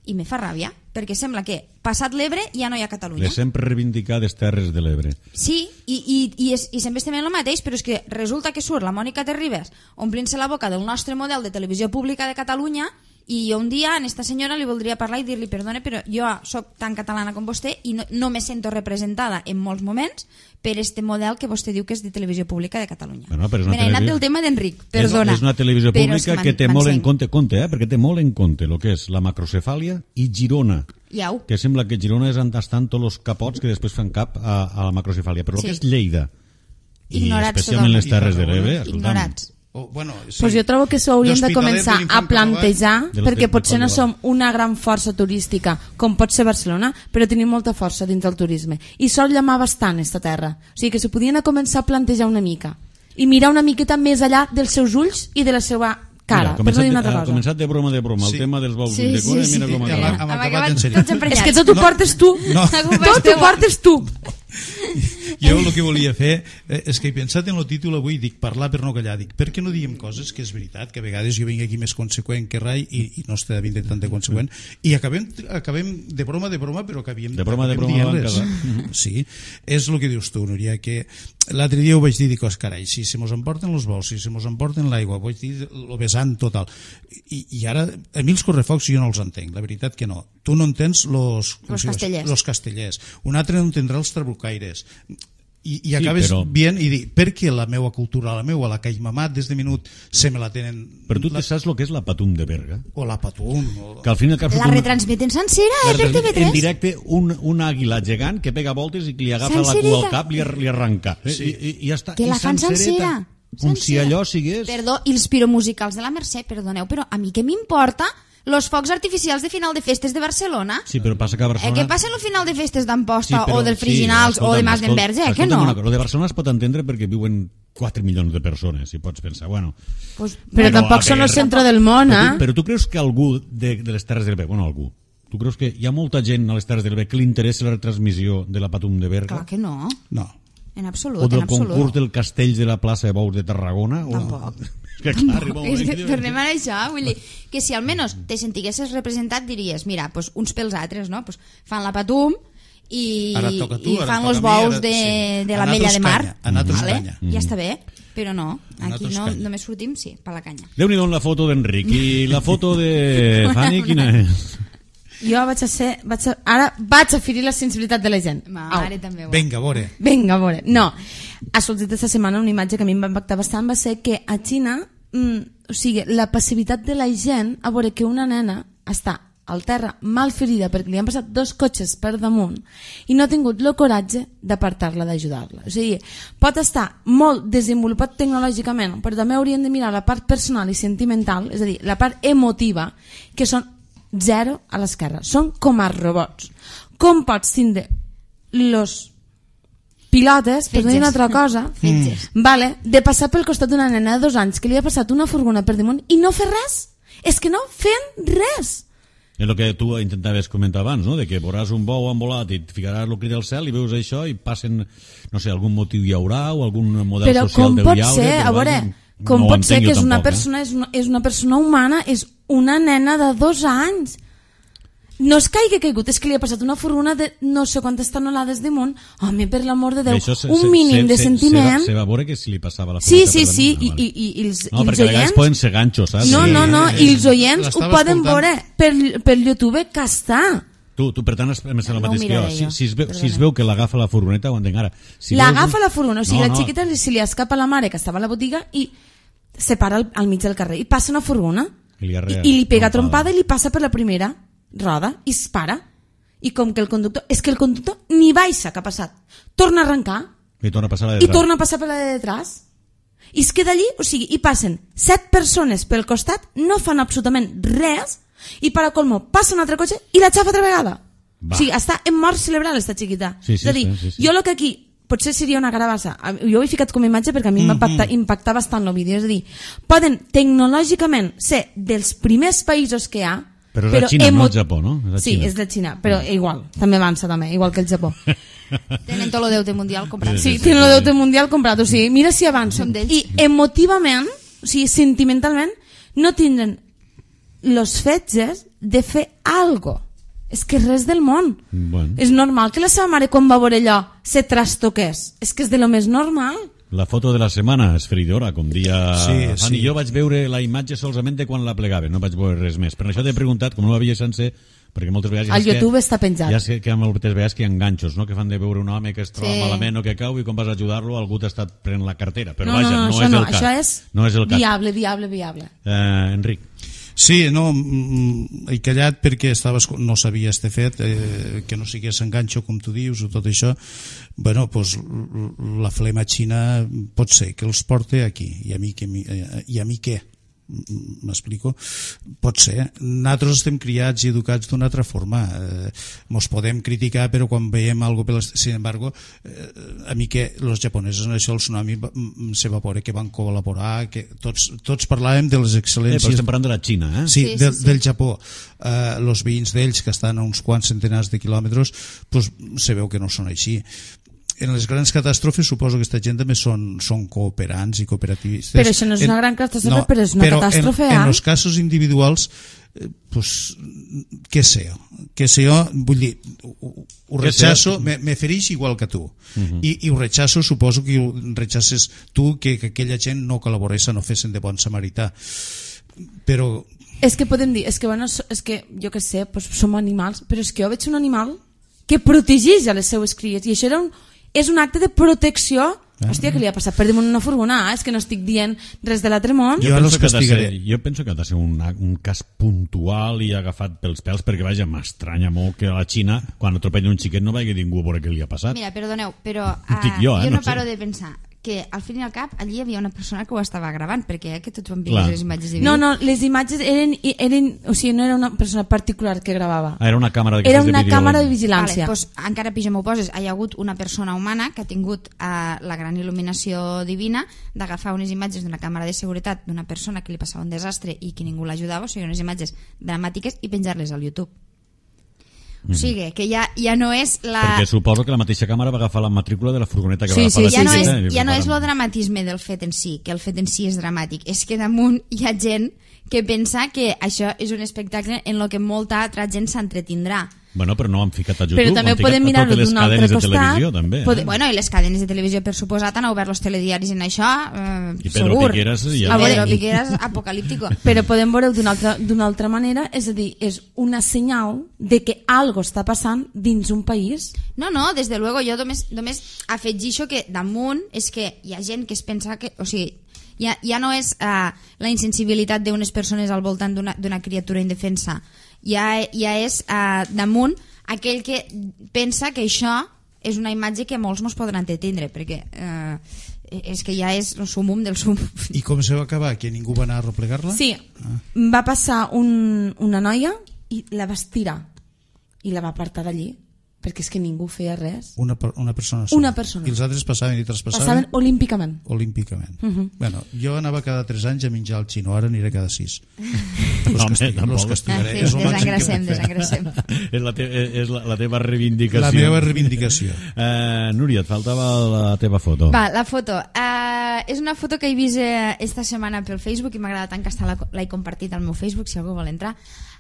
I me fa ràbia, perquè sembla que passat l'Ebre ja no hi ha Catalunya. Les sempre reivindicades Terres de l'Ebre. Sí, i, i, i, és, i sempre estem en el mateix, però és que resulta que surt la Mònica Terribas omplint-se la boca del nostre model de televisió pública de Catalunya, i un dia a esta senyora li voldria parlar i dir-li, perdone, però jo sóc tan catalana com vostè i no, no me sento representada en molts moments per este model que vostè diu que és de televisió pública de Catalunya. Bueno, però és una Me n'he anat televisió... del tema d'Enric, perdona. És, és una televisió pública que, que té molt en compte, compte eh, perquè té molt en compte el que és la macrocefàlia i Girona. Iau. Que sembla que Girona és on estan tots els capots que després fan cap a, a la macrocefàlia. Però el Sí. que és Lleida, Ignorats i especialment totalment. les Terres de l'Ebre, Ignorats. Oh, bueno, sí. Pues jo trobo que s'ho hauríem de començar a plantejar, De perquè l'Hospitalet potser no de som una gran força turística com pot ser Barcelona, però tenim molta força dins del turisme i sol llamar bastant esta terra, o sigui que s'ho podien a començar a plantejar una mica i mirar una miqueta més allà dels seus ulls i de la seva cara. Mira, per no dir una ha altra cosa. començat de broma de broma Sí. el tema dels bous Sí, de cura, sí, mira sí. com ha Hem, acabat. hem Hem acabat acabat en sèrio. tots emprenyats. És que tot ho No, portes tu, no. tot ho portes tu. Jo el que volia fer eh, és que he pensat en el títol avui, dic parlar per no callar, dic per què no diem coses que és veritat, que a vegades jo vinc aquí més conseqüent que rai i, i no està vint tant de conseqüent i acabem, acabem de broma de broma però acabem, De broma de acabem broma van dient-les. Sí, és el que dius tu, Núria, que l'altre dia ho vaig dir, dic, oh, carai, si se mos emporten els bous, si se mos emporten l'aigua, vaig dir lo vessant total I, i ara a mi els correfocs jo no els entenc, la veritat que no, tu no entens los, Los castellers. los castellers, un altre no entendrà els trabucaires i, i Sí, acabes però- bien i dir, per què la meva cultura, la meva, la que he mamat des de minut, se me la tenen... Però tu la, saps el que és la Patum de Berga? o la patum, o... Que al fin i al cap La retransmeten sencera, eh, per T V en tres. directe un, un àguila gegant que pega voltes i que li agafa la Sencereta. cua al cap i li, li arranca. Eh? Sí. I, i, i ja està. Que I la fan sencereta. sencera. Com si Sencera. allò sigués... Perdó, i els piromusicals de la Mercè, perdoneu, però a mi què m'importa los focs artificials de final de festes de Barcelona? Sí, però passa que a Eh, Barcelona... què passa en el final de festes d'Amposta però- o del Friginals sí, o de escolta'm, Mas d'Enverge? Eh, que escolta'm no? una cosa, lo de Barcelona es pot entendre perquè viuen quatre milions de persones, si pots pensar. Bueno, Pues, Però Bueno, tampoc a són el veure, centre del món, però, eh? tu, però tu creus que algú de, de les Terres de l'Ebre, bueno, algú, tu creus que hi ha molta gent a les Terres de l'Ebre que li interessa la retransmissió de la Patum de Berga? clar que no, No. en absolut, O del en absolut. concurs del Castell de la plaça de Bous de Tarragona? O... Tampoc. És que clar, arriba un És moment que que dius- tornem a això, vull dir que si almenys te sentiguessis representat diries, mira, pues, uns pels altres, no? Pues, fan la Patum i, Ara et toca tu, i ara fan et els toca a mi, bous ara- de, sí. de A la Mella nosaltres de Mar, canya, a nosaltres vale? canya. Ja està bé, però no, aquí nosaltres no, canya. només sortim, sí, per la canya. Déu-n'hi-do la foto d'Enric. I la foto de Fanny, quina és? Jo vaig a ser... Vaig a, ara vaig a ferir la sensibilitat de la gent. Mare, també ho. Vinga, a veure. Vinga, a veure. No, ha sortit aquesta setmana una imatge que a mi em va impactar bastant, va ser que a Xina, mm, o sigui, la passivitat de la gent a veure que una nena està al terra mal ferida perquè li han passat dos cotxes per damunt i no ha tingut el coratge d'apartar-la, d'ajudar-la. O sigui, pot estar molt desenvolupat tecnològicament, però també haurien de mirar la part personal i sentimental, és a dir, la part emotiva, que són zero a l'esquerra. Són com a robots. Com pots tindre los pilotes, per no dir una altra cosa, Fetges. vale, de passar pel costat d'una nena de dos anys que li ha passat una furgona per damunt i no fer res? És que no fem res. És el que tu intentaves comentar abans, no? De que veuràs un bou envolat i et ficaràs el crit del cel i veus això i passen, no sé, algun motiu hi haurà o algun model Però social com deu pot hi haure, ser, però a veure, vaja, com no ho pot ser entenc que jo és una tampoc, persona, és una, és una persona humana, és una nena de dos anys. No és que hagi caigut, és que li ha passat una furgona de no sé quantes tonelades damunt. Home, per l'amor de Déu, Això se- un se- mínim se- de se- sentiment. Se, se va veure que si li passava la Sí, furgoneta sí, per sí, damunt. i, Ah, i, vale. i, i els, No, i els perquè a vegades oients... poden ser ganxos, saps? No, Sí. no, no, i els oients ho L'estava poden escoltant. veure per, per YouTube que està. Tu, tu per tant, és, és el No ho mateix que jo. miraré Si, jo, si, es veu, si es perdona. veu que l'agafa la furgoneta, ho entenc ara. Si L'agafa veus- la furgona, o sigui, No, la no. xiqueta li- se li escapa la mare que estava a la botiga i se para al, al mig del carrer i passa una furgona I li i, arrea i li pega trompada. trompada i li passa per la primera roda i es para. I com que el conductor... És que el conductor ni baixa que ha passat. Torna a arrencar I torna a passar la de i detrás. torna a passar per la de detrás. I es queda allí, o sigui, i passen set persones pel costat, no fan absolutament res, i per a colmo passa un altre cotxe i la xafa altra vegada. Va. O sigui, està en mort cerebral esta xiquita. Sí, sí, és a dir, sí, sí, sí. jo el que aquí potser seria una carabassa, jo ho he ficat com a imatge perquè a mi em va impactar, impactar bastant el vídeo, és a dir, poden tecnològicament ser dels primers països que hi ha, Però és la Xina, emo- no el Japó, no? És la Sí, Xina. és la Xina, però igual, també avança també, igual que el Japó. Tenen tot el deute mundial comprat. Sí, sí, tenen sí. el deute mundial comprat, o sigui, mira si avança. Som d'ells. I emotivament, o sigui, sentimentalment, no tindren los fetges de fer algo. És que res del món. Bueno. És normal que la seva mare, quan va veure allò, se trastoqués. És que és de lo més normal. La foto de la setmana és feridora, com dia... Sí, Fanny, sí. jo vaig veure la imatge solament de quan la plegava, no vaig veure res més. Per això t'he preguntat, com no l'havia sencer, perquè moltes vegades... Al ja YouTube que, està penjat. Ja sé que moltes vegades que hi ha enganxos, no? Que fan de veure un home que es troba Sí. malament o que cau i quan vas a ajudar-lo algú t'ha estat prenent la cartera. Però no, vaja, no, no, això és no, el cas. això és, no és el cas. viable, viable, viable. Eh, Enric. Sí, no, mm, he callat perquè estava, no sabia este fet, eh, que no sigués enganxo, com tu dius, o tot això. Bueno, pues, la flema xina pot ser que els porte aquí, i a mi, que, eh, i a mi què? M'explico? Pot ser. Nosaltres estem criats i educats d'una altra forma. Eh, mos podem criticar, però quan veiem algo per les... Sin embargo, eh, a mi que els japonesos en això, el tsunami s'evapora, que van col·laborar, que tots, tots parlàvem de les Eh, excel·lències... però estem parlant de la Xina, eh? Sí, Sí, sí, del, sí. del Japó. Eh, els veïns d'ells, que estan a uns quants centenars de quilòmetres, pues, se veu que no són així. En les grans catàstrofes suposo que aquesta gent també són, són cooperants i cooperativistes. Però això no és una En- gran catàstrofe, però és una però catàstrofe, en, eh? en els casos individuals, eh, pues, què sé jo? Què sé jo? Vull dir, ho, ho Què sé? rechazo, me, me fereix igual que tu. I, I ho rechazo, suposo que ho rechaces tu, que, que aquella gent no col·laborés, no fessin de bon samarità. Però... És que podem dir, és que, bueno, és que jo que sé, pues, som animals, però és que jo veig un animal que protegeix a les seues cries, i això era un, és un acte de protecció. Hòstia, què li ha passat per damunt una furgonada? És que no estic dient res de l'altre món. Jo, Jo ara penso els que ha de ser, castigaré. jo penso que ha de ser un, un cas puntual i agafat pels pèls, perquè vaja, m'estranya molt que a la Xina, quan atropella un xiquet, no vagi ningú a veure què li ha passat. Mira, perdoneu, però Ho uh, dic jo, eh, jo no no sé. paro de pensar que al fin i al cap allí hi havia una persona que ho estava gravant, perquè eh, que tots vam Clar. veure les imatges de vídeo. No, no, les imatges eren, eren... O sigui, no era una persona particular que gravava. Ah, era una càmera Era d'aquestes una de vídeo. càmera de Vale, vigilància. doncs, encara pitjor m'ho poses. Hi ha hagut una persona humana que ha tingut uh, la gran il·luminació divina d'agafar unes imatges d'una càmera de seguretat d'una persona que li passava un desastre i que ningú l'ajudava, o sigui, unes imatges dramàtiques, i penjar-les al YouTube. O sigui, que ja, ja no és la... Perquè suposo que la mateixa càmera va agafar la matrícula de la furgoneta que Sí, va agafar sí, la ja no, és, xiqueta i ja no és preparen. el dramatisme del fet en si, que el fet en si és dramàtic, és que damunt hi ha gent que pensa que això és un espectacle en el que molta altra gent s'entretindrà. Bueno, però no han ficat a YouTube, Però també han ficat podem a mirar-ho totes les d'un altre cadenes de costat. televisió, també. Pode- Eh? Bueno, i les cadenes de televisió, per suposat, han obert els telediaris en això, eh, I Pedro segur. Piqueras ja A va- Pedro Piqueras, apocalíptico. Però podem veure-ho d'una altra, d'una altra manera, és a dir, és una senyal de que algo està passant dins un país. No, no, des de luego, jo només, només afegixo que damunt és que hi ha gent que es pensa que... O sigui, ja, ja no és uh, la insensibilitat d'unes persones al voltant d'una d'una criatura indefensa, ja, ja és uh, damunt aquell que pensa que això és una imatge que molts mos podran entendre, perquè eh, és que ja és el sumum del sumum. I com se va acabar? Que ningú va anar a replegar-la? Sí, va passar un, una noia i la va estirar i la va apartar d'allí, perquè és que ningú feia res. Una, per- una persona sola. Una persona. I els altres passaven i traspassaven? Passaven olímpicament. Olímpicament. Mhm. Bueno, jo anava cada tres anys a menjar al xino, ara aniré cada sis. No, Los, home, castig tampoc. los Ah, castigaré. sí, És el màxim que desengracem, puc fer. desengracem. és la, te és la, la teva reivindicació. La meva reivindicació. Eh, Núria, et faltava la teva foto. Va, la foto. Uh, és una foto que he vist eh, esta setmana pel Facebook i m'agrada tant que hasta la- l'he compartit al meu Facebook, si algú vol entrar.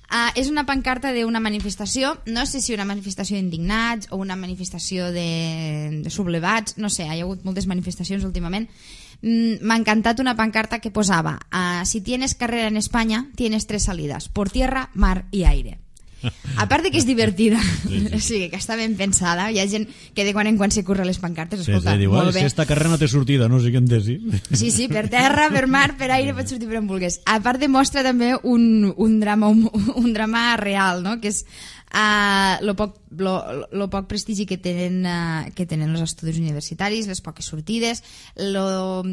Uh, és una pancarta d'una manifestació, no sé si una manifestació d'indignats o una manifestació de, de sublevats, no sé, hi ha hagut moltes manifestacions últimament. Mm, m'ha encantat una pancarta que posava uh, si tienes carrera en España, tienes tres salidas, por tierra, mar y aire. A part de que és divertida, sí, sí. O sigui, que està ben pensada, hi ha gent que de quan en quan se curra les pancartes, Sí, escolta, sí, diu, molt "Ai, bé. si esta carrera no té sortida, no sé què em dir. Sí, sí, per terra, per mar, per aire, pots sortir per on vulguis. A part demostra també un, un, drama, un, un drama real, no? Que és uh, lo, poc, lo, lo poc prestigi que tenen, uh, que tenen els estudis universitaris, les poques sortides, lo,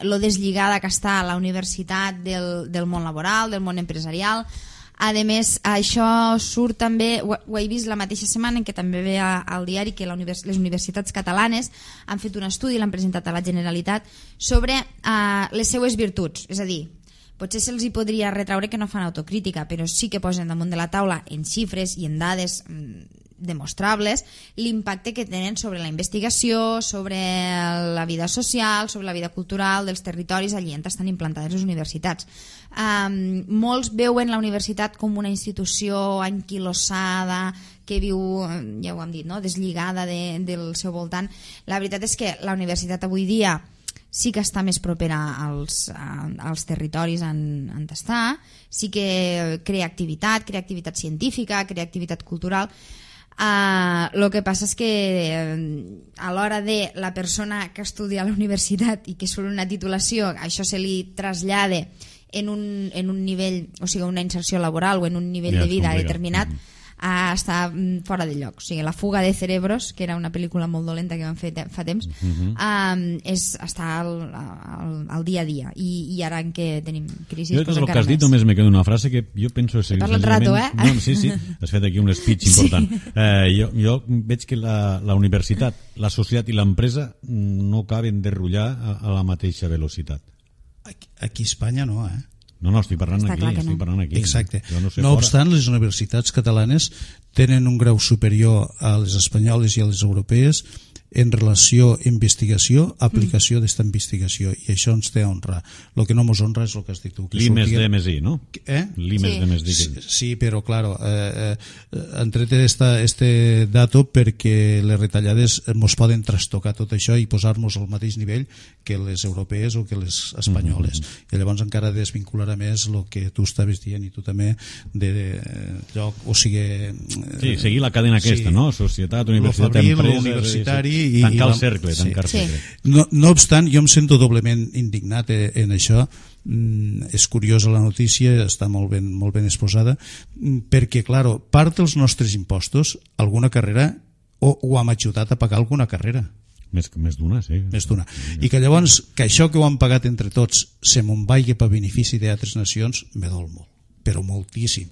lo deslligada que està la universitat del, del món laboral, del món empresarial. A més, això surt també, ho, ho he vist la mateixa setmana en què també ve a, al diari que la univers, les universitats catalanes han fet un estudi, l'han presentat a la Generalitat, sobre uh, les seues virtuts. És a dir, potser se'ls hi podria retraure que no fan autocrítica, però sí que posen damunt de la taula en xifres i en dades demostrables l'impacte que tenen sobre la investigació, sobre la vida social, sobre la vida cultural dels territoris allí on estan implantades les universitats. Um, molts veuen la universitat com una institució anquilossada que viu, ja ho hem dit, no? deslligada de, del seu voltant. La veritat és que la universitat avui dia sí que està més propera als, als territoris on, on està, sí que crea activitat, crea activitat científica, crea activitat cultural. Uh, el que passa és que uh, a l'hora de la persona que estudia a la universitat i que surt una titulació, això se li trasllada en un, en un nivell, o sigui, una inserció laboral o en un nivell ja, de vida determinat, mm -hmm. a estar fora de lloc. O sigui, La fuga de cerebros, que era una pel·lícula molt dolenta que vam fer fa temps, uh-huh. um, és estar al, al, al dia a dia. I, i ara en què tenim crisi... Jo de tot el que has dit només me queda una frase que jo penso... Te parla el rato, eh? No, sí, sí, has fet aquí un speech important. Sí. Eh, jo, jo veig que la, la universitat, la societat i l'empresa no caben de rotllar a, a la mateixa velocitat. Aquí, aquí a Espanya no, eh? No, no, estic parlant Està aquí, estic no. parlant aquí. Exacte. No, sé no obstant, les universitats catalanes tenen un grau superior a les espanyoles i a les europees en relació a investigació, aplicació mm. d'esta investigació, i això ens té a honrar. El que no ens honra és el que has dit tu. L'I més D més I, no? Eh? L'I més D més I. Sí, sí, però, claro, eh, eh, han tret esta, este dato perquè les retallades ens poden trastocar tot això i posar-nos al mateix nivell que les europees o que les espanyoles. Mm-hmm. I llavors encara desvincularà més el que tu estaves dient i tu també de lloc, o sigui... Sí, seguir la cadena aquesta, sí. no? Societat, universitat, fabril, empresa... universitari... I, tancar el cercle, sí. tancar sí. cercle. No, no obstant, jo em sento doblement indignat en això. Mm, és curiosa la notícia, està molt ben, molt ben exposada, perquè, claro, part dels nostres impostos, alguna carrera, o, o hem ajudat a pagar alguna carrera. Més, més d'una, sí. Més d'una. I que llavors, que això que ho han pagat entre tots se me'n vagi per benefici d'altres nacions, me dol molt, però moltíssim.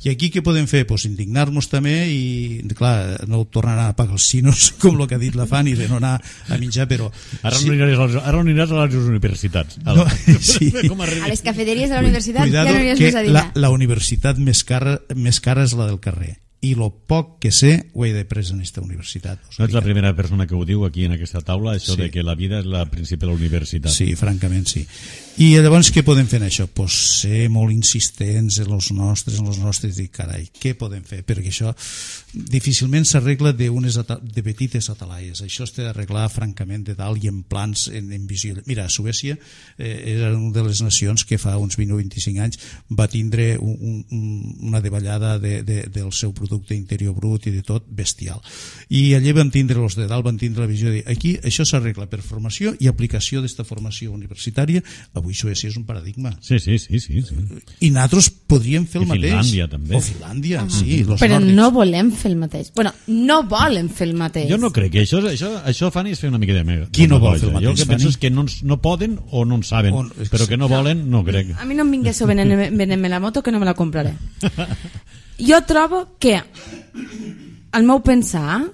I aquí què podem fer? Pues indignar-nos també i, clar, no tornar a pagar els xinos, com el que ha dit la Fanny, de no anar a menjar, però... Ara sí. no aniràs a les, ara no aniràs a les universitats. No, sí. A les cafeteries de la universitat Cuidado, ja no aniràs que més a dinar. La, la universitat més cara, més cara és la del carrer. I lo poc que sé ho he després en aquesta universitat. No ets la primera persona que ho diu aquí en aquesta taula, això sí. de que la vida és la principal universitat. Sí, francament sí. I llavors què podem fer en això? Pues ser molt insistents en els nostres, en els nostres, i carai, què podem fer? Perquè això difícilment s'arregla de, unes de petites atalaies. Això es té d'arreglar francament de dalt i en plans, en, en visió. Mira, Suècia eh, era una de les nacions que fa uns vint o vint-i-cinc anys va tindre un, un, una davallada de, de, del seu producte interior brut i de tot bestial. I allà van tindre els de dalt, van tindre la visió de aquí això s'arregla per formació i aplicació d'esta formació universitària. Avui Suècia és un paradigma. Sí, sí, sí, sí, sí. I nosaltres podríem fer el I mateix. Finlàndia també. O Finlàndia, uh-huh. sí. Los Però nòrdics. no volem fer el mateix. Bueno, no volen fer el mateix. Jo no crec que això, això, això Fanny, és fer una mica de mega. Qui no vol fer el mateix, Jo el que penso és que no, no poden o no en saben, o, però que no volen, no crec. A mi no em vingués a venir-me la moto, que no me la compraré. Jo trobo que el meu pensar,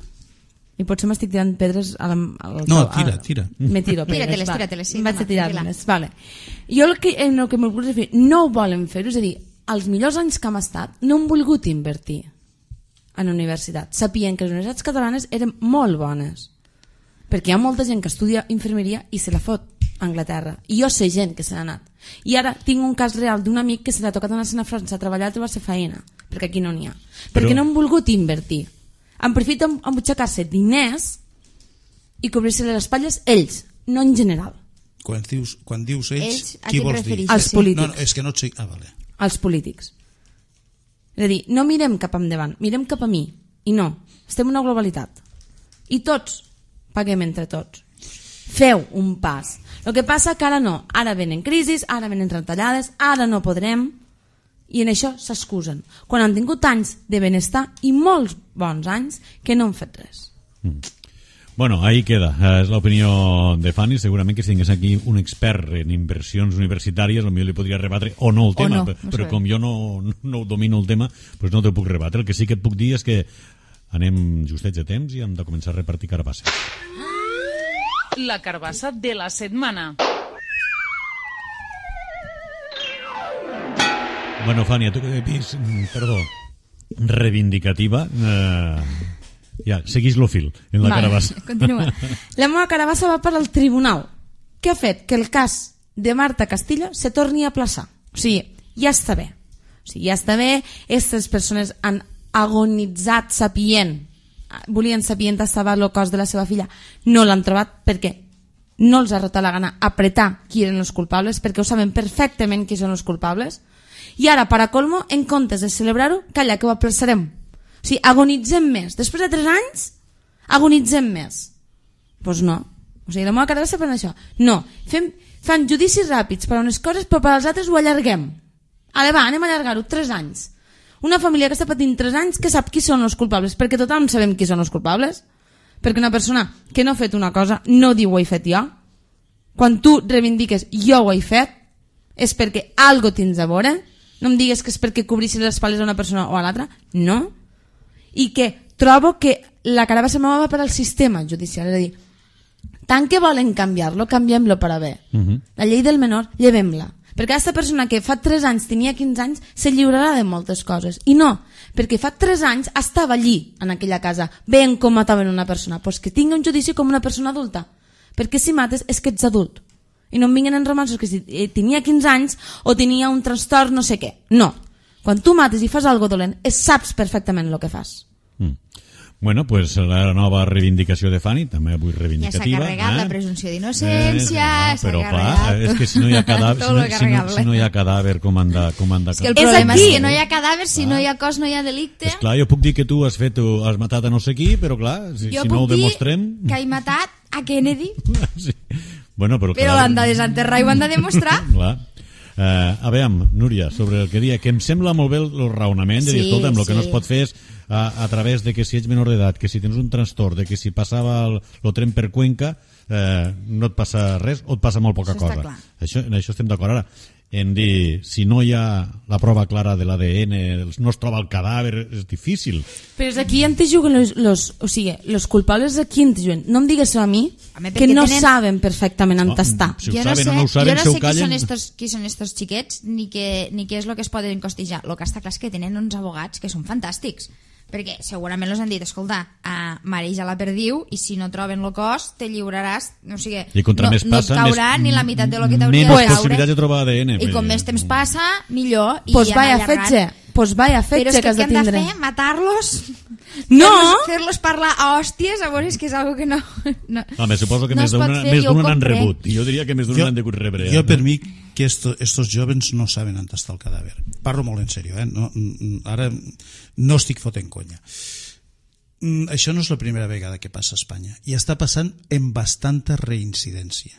i potser m'estic tirant pedres a la, al, no, a, tira, tira me tiro pedres, tírateles, va. tírateles, sí, em vaig a tirar-les, vale. Jo el que, en el que m'ho vull dir, no ho volen fer, és a dir, els millors anys que hem estat no han volgut invertir en universitat, sapien que les universitats catalanes eren molt bones, perquè hi ha molta gent que estudia infermeria i se la fot a Anglaterra, i jo sé gent que se n'ha anat, i ara tinc un cas real d'un amic que se l'ha tocat anar-se'n a França a treballar, a trobar-se feina, perquè aquí no n'hi ha, perquè Però... no han volgut invertir, han preferit embutxacar-se diners i cobrir-se les espatlles ells, no en general. Quan dius, quan dius ells, ells qui vols dir? Els polítics. No, no, és que no et sé... Ah, vale. Els polítics. És a dir, no mirem cap endavant, mirem cap a mi, i no, estem en una globalitat i tots paguem entre tots. Feu un pas. El que passa que ara no, ara venen crisis, ara venen retallades, ara no podrem, i en això s'excusen quan han tingut anys de benestar i molts bons anys que no han fet res. mm. Bueno, ahí queda, és l'opinió de Fanny. Segurament que si tingués aquí un expert en inversions universitàries potser li podria rebatre o no el tema, no, però, no però com jo no, no domino el tema, doncs no t'ho puc rebatre. El que sí que et puc dir és que anem justets de temps i hem de començar a repartir carbasses. La carbassa de la setmana. Bueno, Fània, tu que ets, perdó, reivindicativa, eh, ja, seguís lo fil en la vale, carabassa. Continua. La meva carabassa va per al tribunal, que ha fet que el cas de Marta Castillo se torni a aplaçar. O sigui, ja està bé. O sigui, ja està bé, aquestes persones han agonitzat sapient, volien saber on estava el cos de la seva filla, no l'han trobat perquè no els ha rotat la gana apretar qui eren els culpables, perquè ho saben perfectament qui són els culpables, i ara, per a colmo, en comptes de celebrar-ho, calla, que ho aplaçarem. O sigui, agonitzem més. Després de tres anys, agonitzem més. Doncs pues no. O sigui, la meva carabassa per això. No, fem, fan judicis ràpids per a unes coses, però per als altres ho allarguem. Ale, va, anem a allargar-ho tres anys. Una família que està patint tres anys que sap qui són els culpables, perquè tothom sabem qui són els culpables. Perquè una persona que no ha fet una cosa no diu ho he fet jo. Quan tu reivindiques jo ho he fet, és perquè algo tens a veure. No em digues que és perquè cobrissis les espatles a una persona o a l'altra. No. I que trobo que la carabassa meva va per al sistema judicial. És a dir, tant que volen canviar-lo, canviem-lo per a bé. Uh-huh. La llei del menor, llevem-la. Perquè aquesta persona que fa tres anys tenia quinze anys se lliurarà de moltes coses. I no, perquè fa tres anys estava allí, en aquella casa, veient com mataven una persona. Doncs pues que tingui un judici com una persona adulta. Perquè si mates és que ets adult. I no em vinguin en romanços que si tenia quinze anys o tenia un trastorn no sé què. No. Quan tu mates i fas alguna dolent, saps perfectament el que fas. Mm. Bueno, pues la nova reivindicació de Fanny, també avui reivindicativa. Ja s'ha carregat eh? la presumpció d'innocència, eh, no, però s'ha clar, carregat... és que si no hi ha cadàver, si no, si no, si no hi ha cadàver com han de... Com han de... És que el problema és, és que no hi ha cadàver, si clar. no hi ha cos no hi ha delicte. És clar, jo puc dir que tu has fet, has matat a no sé qui, però clar, si, jo si no ho demostrem... Jo puc dir que he matat a Kennedy, sí. Bueno, però però l'han de desenterrar i ho han de demostrar. Clar. Uh, a veure, Núria, sobre el que dia, que em sembla molt bé el raonament de dir, sí, escolta, el sí. que no es pot fer és a, a través de que si ets menor d'edat, que si tens un trastorn, de que si passava el, el tren per Cuenca, eh, no et passa res o et passa molt poca això cosa. Això, en això estem d'acord. Ara, en dir, si no hi ha la prova clara de l'A D N, no es troba el cadàver, és difícil. Però és aquí on te juguen los, los, o sigui, los culpables aquí on te juguen. No em digues a mi, Home, que no tenen... saben perfectament on Oh, està. si ho jo saben no sé, o no ho saben, jo no se ho sé qui callen. són estos, qui són estos xiquets ni, que, ni què és el que es poden costijar. El que està clar és que tenen uns abogats que són fantàstics, perquè segurament els han dit, escolta, uh, mareja la perdiu i si no troben el cos te lliuraràs, o sigui, I contra no, més no passa, et caurà més, ni la meitat de lo que t'hauria de menys caure. possibilitats de trobar A D N. I com més temps passa, millor. I Pues anar vaya allargant. fetge, pues vaya Però fetge és que que has què de hem de tindre. fer? Matar-los? No! Fer-los fer-los parlar a hòsties? A veure, és que és algo que no... no Home, suposo que no més es pot d'una fer, jo ho n'han compré. rebut. I jo diria que més d'una Jo, n'han degut rebre. jo eh? per mi que esto, estos jóvens no saben on està el cadàver. Parlo molt en sèrio, eh? No, ara no estic fotent conya. Mm, això no és la primera vegada que passa a Espanya i està passant en bastanta reincidència.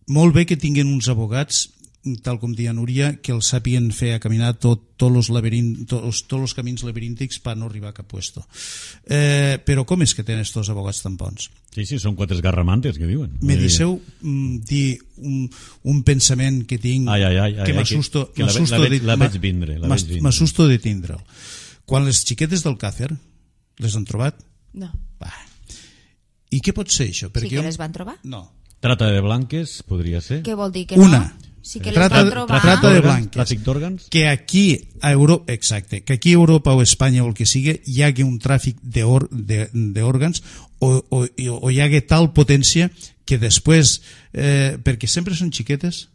Molt bé que tinguin uns abogats, tal com deia Núria, que els sàpien fer a caminar tot, tots els laberint, tots, tots els camins laberíntics per no arribar a cap puesto. Eh, però com és que tenen estos abogats tan bons? Sí, sí, són quatre esgarramantes que diuen. Me deixeu mm, dir un, un pensament que tinc ai, ai, ai, que ai, m'assusto que, que la, m'assusto la, de, la veig vindre. La veig vindre. M'assusto de tindre'l. Quan les xiquetes del Càcer les han trobat? No. Va. I què pot ser això? Sí que les van trobar? No. Trata de blanques, podria ser. Què vol dir que Una. no? Sí que les Trata- van trobar. trata de blanques. Tràfic d'òrgans. Que aquí a Europa, exacte, que aquí a Europa o a Espanya o el que sigui hi hagi un tràfic d'òrgans o, o, o hi hagi tal potència que després, eh, perquè sempre són xiquetes,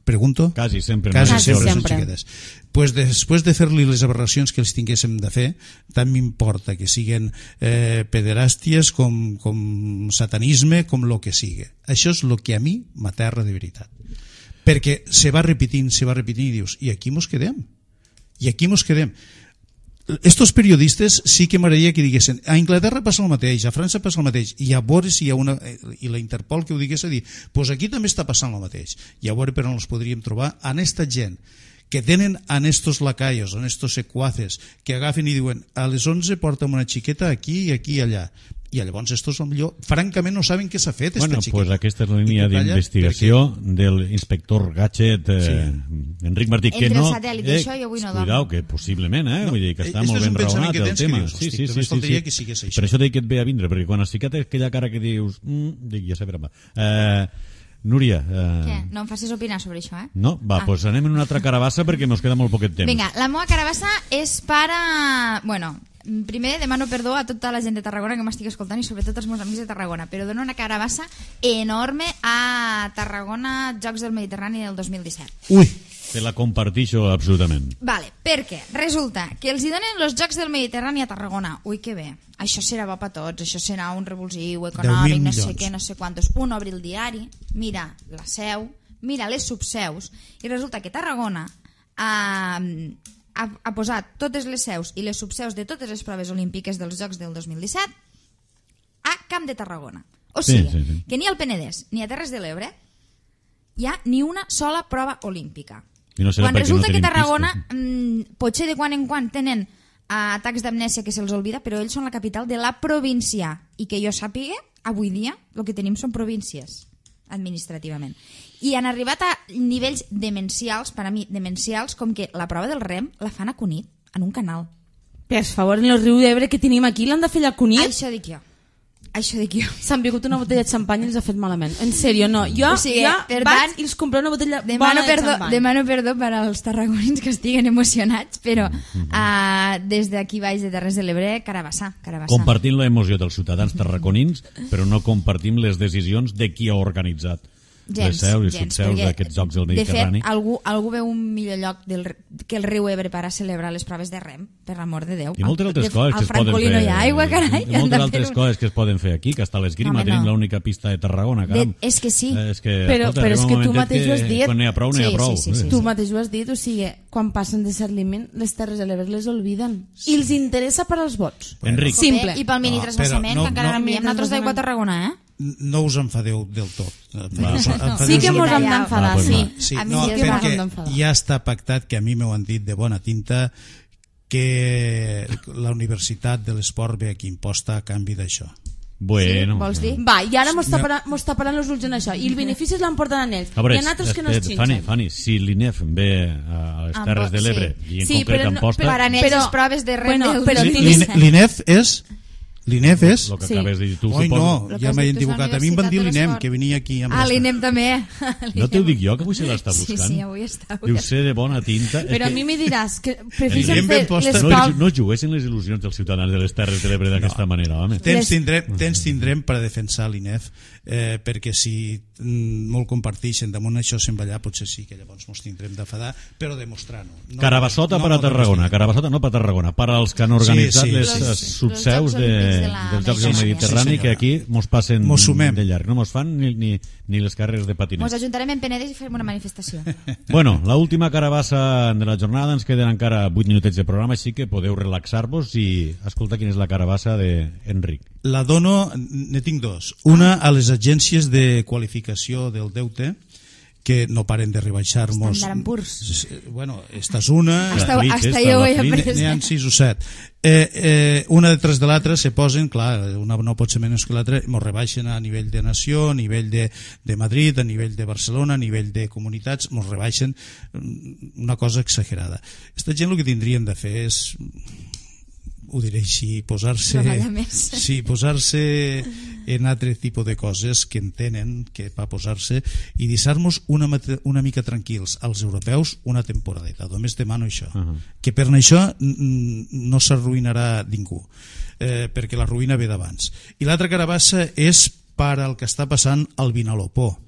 pregunto? Quasi sempre. Quasi, no? Quasi sempre, sempre. són xiquetes. Pues després de fer-li les aberracions que els tinguéssim de fer, tant m'importa que siguen eh, pederàsties com, com satanisme, com lo que sigui. Això és el que a mi m'aterra de veritat. Perquè se va repetint, se va repetint i dius, i aquí mos quedem? I aquí mos quedem? Estos periodistes sí que m'agradaria que diguessin a Anglaterra passa el mateix, a França passa el mateix i a veure si hi ha una i la Interpol que ho digués a dir, doncs aquí també està passant el mateix i a veure per on els podríem trobar en esta gent que tenen en estos lacayos, en estos secuaces que agafen i diuen a les onze porta'm una xiqueta aquí i aquí i allà i llavors estos millor, francament no saben què s'ha fet Bueno, esta pues xiqueta. aquesta és la línia I tu calles d'investigació del inspector Gadget eh, Sí. Enric Martí, que Entre no... el satèl·lit i això jo avui no dormo. Cuidao, que possiblement, eh? No, Vull dir que està este molt és un ben pensament raonat que el tens que tema. dius, Sí, hosti, sí, només sí, faltaria sí. que sigués això. Per això dic que et ve a vindre, perquè quan has ficat aquella cara que dius... Mm, dic, ja sabrà. Eh, Núria... Eh... Què? No em facis opinar sobre això, eh? No? Va, doncs ah. pues anem en una altra carabassa perquè ens queda molt poquet temps. Vinga, la meva carabassa és para... Bueno, primer demano perdó a tota la gent de Tarragona que m'estic escoltant i sobretot als meus amics de Tarragona, però dono una carabassa enorme a Tarragona Jocs del Mediterrani del dos mil disset. Ui! Te la comparteixo absolutament. Vale, perquè resulta que els hi donen els Jocs del Mediterrani a Tarragona. Ui, que bé. Això serà bo per tots, això serà un revulsiu econòmic, no sé què, no sé quantos. Un obri el diari, mira la seu, mira les subseus, i resulta que Tarragona ha, ha, ha posat totes les seus i les subseus de totes les proves olímpiques dels Jocs del dos mil disset a Camp de Tarragona. O sigui, sí, sí, sí. que ni al Penedès ni a Terres de l'Ebre hi ha ni una sola prova olímpica. No quan resulta no que Tarragona mmm, potser de quan en quan tenen uh, atacs d'amnèsia que se'ls oblida, però ells són la capital de la província i que jo sàpiga, avui dia el que tenim són províncies administrativament, i han arribat a nivells demencials, per a mi demencials, com que la prova del rem la fan a Cunit, en un canal. Per favor, en el riu d'Ebre que tenim aquí l'han de fer a Cunit? Això dic jo. Això dic jo. S'han begut una botella de xampany i els ha fet malament. En sèrio, no. Jo, o sigui, jo per vaig tant, i els compré una botella demano bona de perdó, xampany. demano perdó per als tarragonins que estiguen emocionats, però uh, des d'aquí baix de Terres de l'Ebre, carabassa, carabassa. Compartim l'emoció dels ciutadans tarraconins, però no compartim les decisions de qui ha organitzat gens, les seus i gens, subseus d'aquests Jocs del Mediterrani. De fet, algú, algú veu un millor lloc del, que el riu Ebre per a celebrar les proves de rem, per l'amor de Déu. I moltes altres de, coses que es poden fer. No hi ha aigua, carai. I moltes altres un... coses que es poden fer aquí, que hasta l'Esgrima no, tenim no. l'única pista de Tarragona. De, és que sí. Eh, és que, però escolta, però és que tu mateix que, ho has dit. Quan n'hi ha prou, n'hi ha sí, prou. Sí, sí, sí, tu sí. mateix ho has dit, o sigui, quan passen de ser límit, les Terres de l'Ebre les olviden. Sí. I els interessa per als vots. Enric. Simple. I pel mini transvassament, no, que encara no, enviem nosaltres d'aigua a Tarragona, eh? No us enfadeu del tot. Va. Sí que mos hem d'enfadar, sí. sí. A mi no, sí que perquè d'enfadar. Ja està pactat, que a mi m'ho han dit de bona tinta, que la Universitat de l'Esport ve aquí imposta a canvi d'això. Bueno. Sí, vols dir? Va, i ara mos taparan els ulls en això. I els beneficis l'emporten en ells. Veure, I en altres que no es xinxen. Fanny, Fanny, si l'I N E F ve a les Terres de l'Ebre sí. i en sí, concret en Amposta... Per anar a les proves de rem bueno, del... Però sí, l'I N E F és... L'I N E F és... El que sí. acabes de dir tu, Oi, suposo. no, ja m'he equivocat. A mi em van dir l'I N E M, que venia aquí. Amb ah, l'I N E M també. No t'ho dic jo, que avui se l'està buscant. Sí, sí, avui està. Deu ser de bona tinta. Però a mi me diràs que prefereixen fer les no, proves... no juguessin les il·lusions dels ciutadans de les Terres de l'Ebre d'aquesta no. manera, home. Temps tindrem, temps tindrem per a defensar l'I N E F, eh, perquè si mm, molt comparteixen damunt això se'n va allà, potser sí que llavors ens tindrem d'afadar, però demostrar-no. No, Carabassota no, per a no, Carabassota, Carabassota no per a Tarragona, per als que han organitzat sí, sí, les sí, sí. subseus de, dels Jocs del Mediterrani, sí, que aquí mos passen mos de llarg, no mos fan ni, ni, ni les carreres de patinet. Mos ajuntarem en Penedès i farem una manifestació. Bueno, l'última carabassa de la jornada, ens queden encara vuit minutets de programa, així que podeu relaxar-vos i escoltar quina és la carabassa d'Enric. La dono, ne tinc dos. Una a les agències de qualificació del deute, que no paren de rebaixar-nos. Estan purs. Bueno, esta és una... Hasta, hasta jo ho he après. N'hi ha sis o set. Eh, eh, una detrás de l'altra se posen, clar, una no pot ser menys que l'altra, ens rebaixen a nivell de nació, a nivell de, de Madrid, a nivell de Barcelona, a nivell de comunitats, ens rebaixen una cosa exagerada. Esta gent el que tindrien de fer és... ho diré així, posar-se sí, posar-se en altre tipus de coses que entenen que va posar-se i deixar-nos una, una mica tranquils als europeus una temporadeta, només demano això uh -huh. que per això no s'arruïnarà ningú, eh, perquè la ruïna ve d'abans. I l'altra carabassa és per al que està passant al Vinalopó.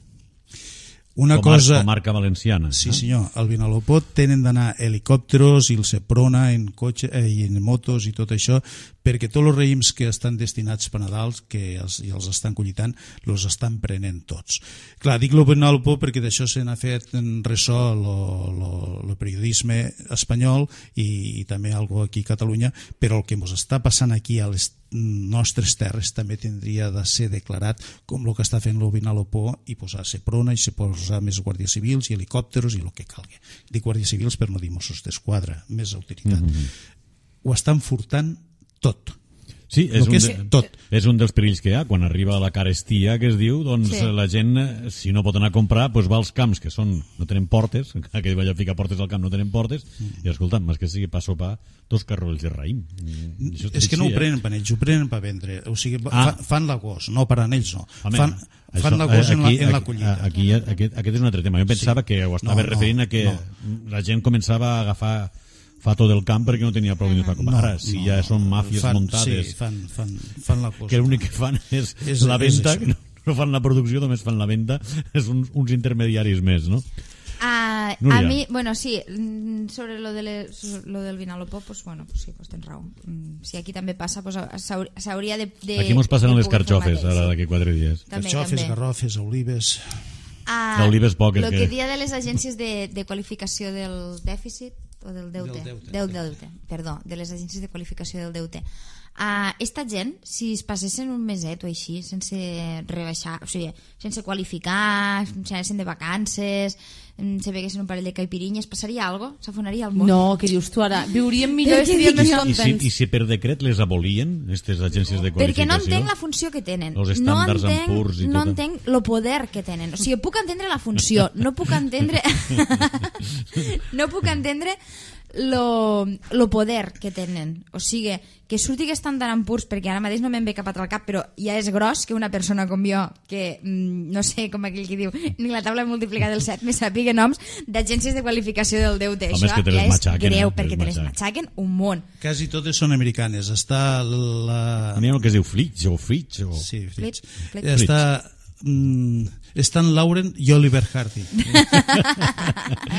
Una Comar, cosa... comarca valenciana. Sí, senyor. Al Vinalopó tenen d'anar helicòpteros i el Seprona en cotxe eh, i en motos i tot això, perquè tots els raïms que estan destinats per Nadal, que els, i els estan collitant, els estan prenent tots. Clar, dic el Vinalopó perquè d'això se n'ha fet en ressò el periodisme espanyol i, i també algo aquí a Catalunya, però el que ens està passant aquí a les nostres terres també tindria de ser declarat com el que està fent el Vinalopó i posar Seprona i se posar més guàrdies civils i helicòpteros i el que calgui. Dic guàrdies civils per no dir Mossos d'Esquadra, més autoritat. Mm-hmm. Ho estan furtant tot. Sí, és, el que un és de, tot. És un dels perills que hi ha. Quan arriba la carestia, que es diu, doncs Sí. la gent, si no pot anar a comprar, doncs va als camps, que són no tenen portes, aquell allà fica portes al camp no tenen portes, mm. i escolta, més que sigui pa sopar, dos carrolls de raïm. Això és que no ho prenen per ells, ho prenen per vendre. O sigui, ah. fan, fan l'agost, no per a ells, no. Home, fan, això, fan l'agost en, la, aquí, en la collita. Aquí, aquí, aquest, aquest és un altre tema. Jo pensava sí. que ho estava no, referint a que no. la gent començava a agafar fato del camp perquè no tenia prou diners per comprar. Ara, si no, ja són màfies fan, muntades, sí, fan, fan, fan la cosa. Que l'únic que fan és, és la venda, és no, no fan la producció, només fan la venda, és uns, uns intermediaris més, no? Uh, a mi, bueno, sí, sobre lo, de le, lo del Vinalopó, pues bueno, pues sí, pues tens raó. Si aquí també passa, pues s'hauria de, de... Aquí mos passen les carxofes, ara d'aquí quatre dies. També, carxofes, també. garrofes, olives... Uh, L'olives poc. El que, que dia de les agències de, de qualificació del dèficit o del deute, del deute. Del deute, perdó, de les agències de qualificació del deute. Uh, esta gent, si es passessin un meset o així, sense rebaixar, o sigui, sense qualificar, sense anessin de vacances, se beguessin un parell de caipirinyes, passaria alguna cosa? S'afonaria el món? No, què dius tu ara? Viuríem millor i estaríem més I si, contents. I si per decret les abolien, aquestes agències de qualificació? Perquè no entenc la funció que tenen. Els estàndards no en entenc, purs i no tot. entenc el poder que tenen. O sigui, puc entendre la funció, no puc entendre... no puc entendre lo, lo poder que tenen. O sigui, que surti que estan tan purs, perquè ara mateix no me'n ve cap altre al cap, però ja és gros que una persona com jo, que mm, no sé, com aquell que diu, ni la taula de multiplicar del set me sàpiga noms d'agències de qualificació del deute. Home, això és ja és greu, eh? perquè te les matxaquen un món. Quasi totes són americanes. Està la... N'hi ha el que es diu Flitch o Fitch o... Sí, Flitch. Flitch. Flitch. Està... Mm, Stan Lauren i Oliver Hardy.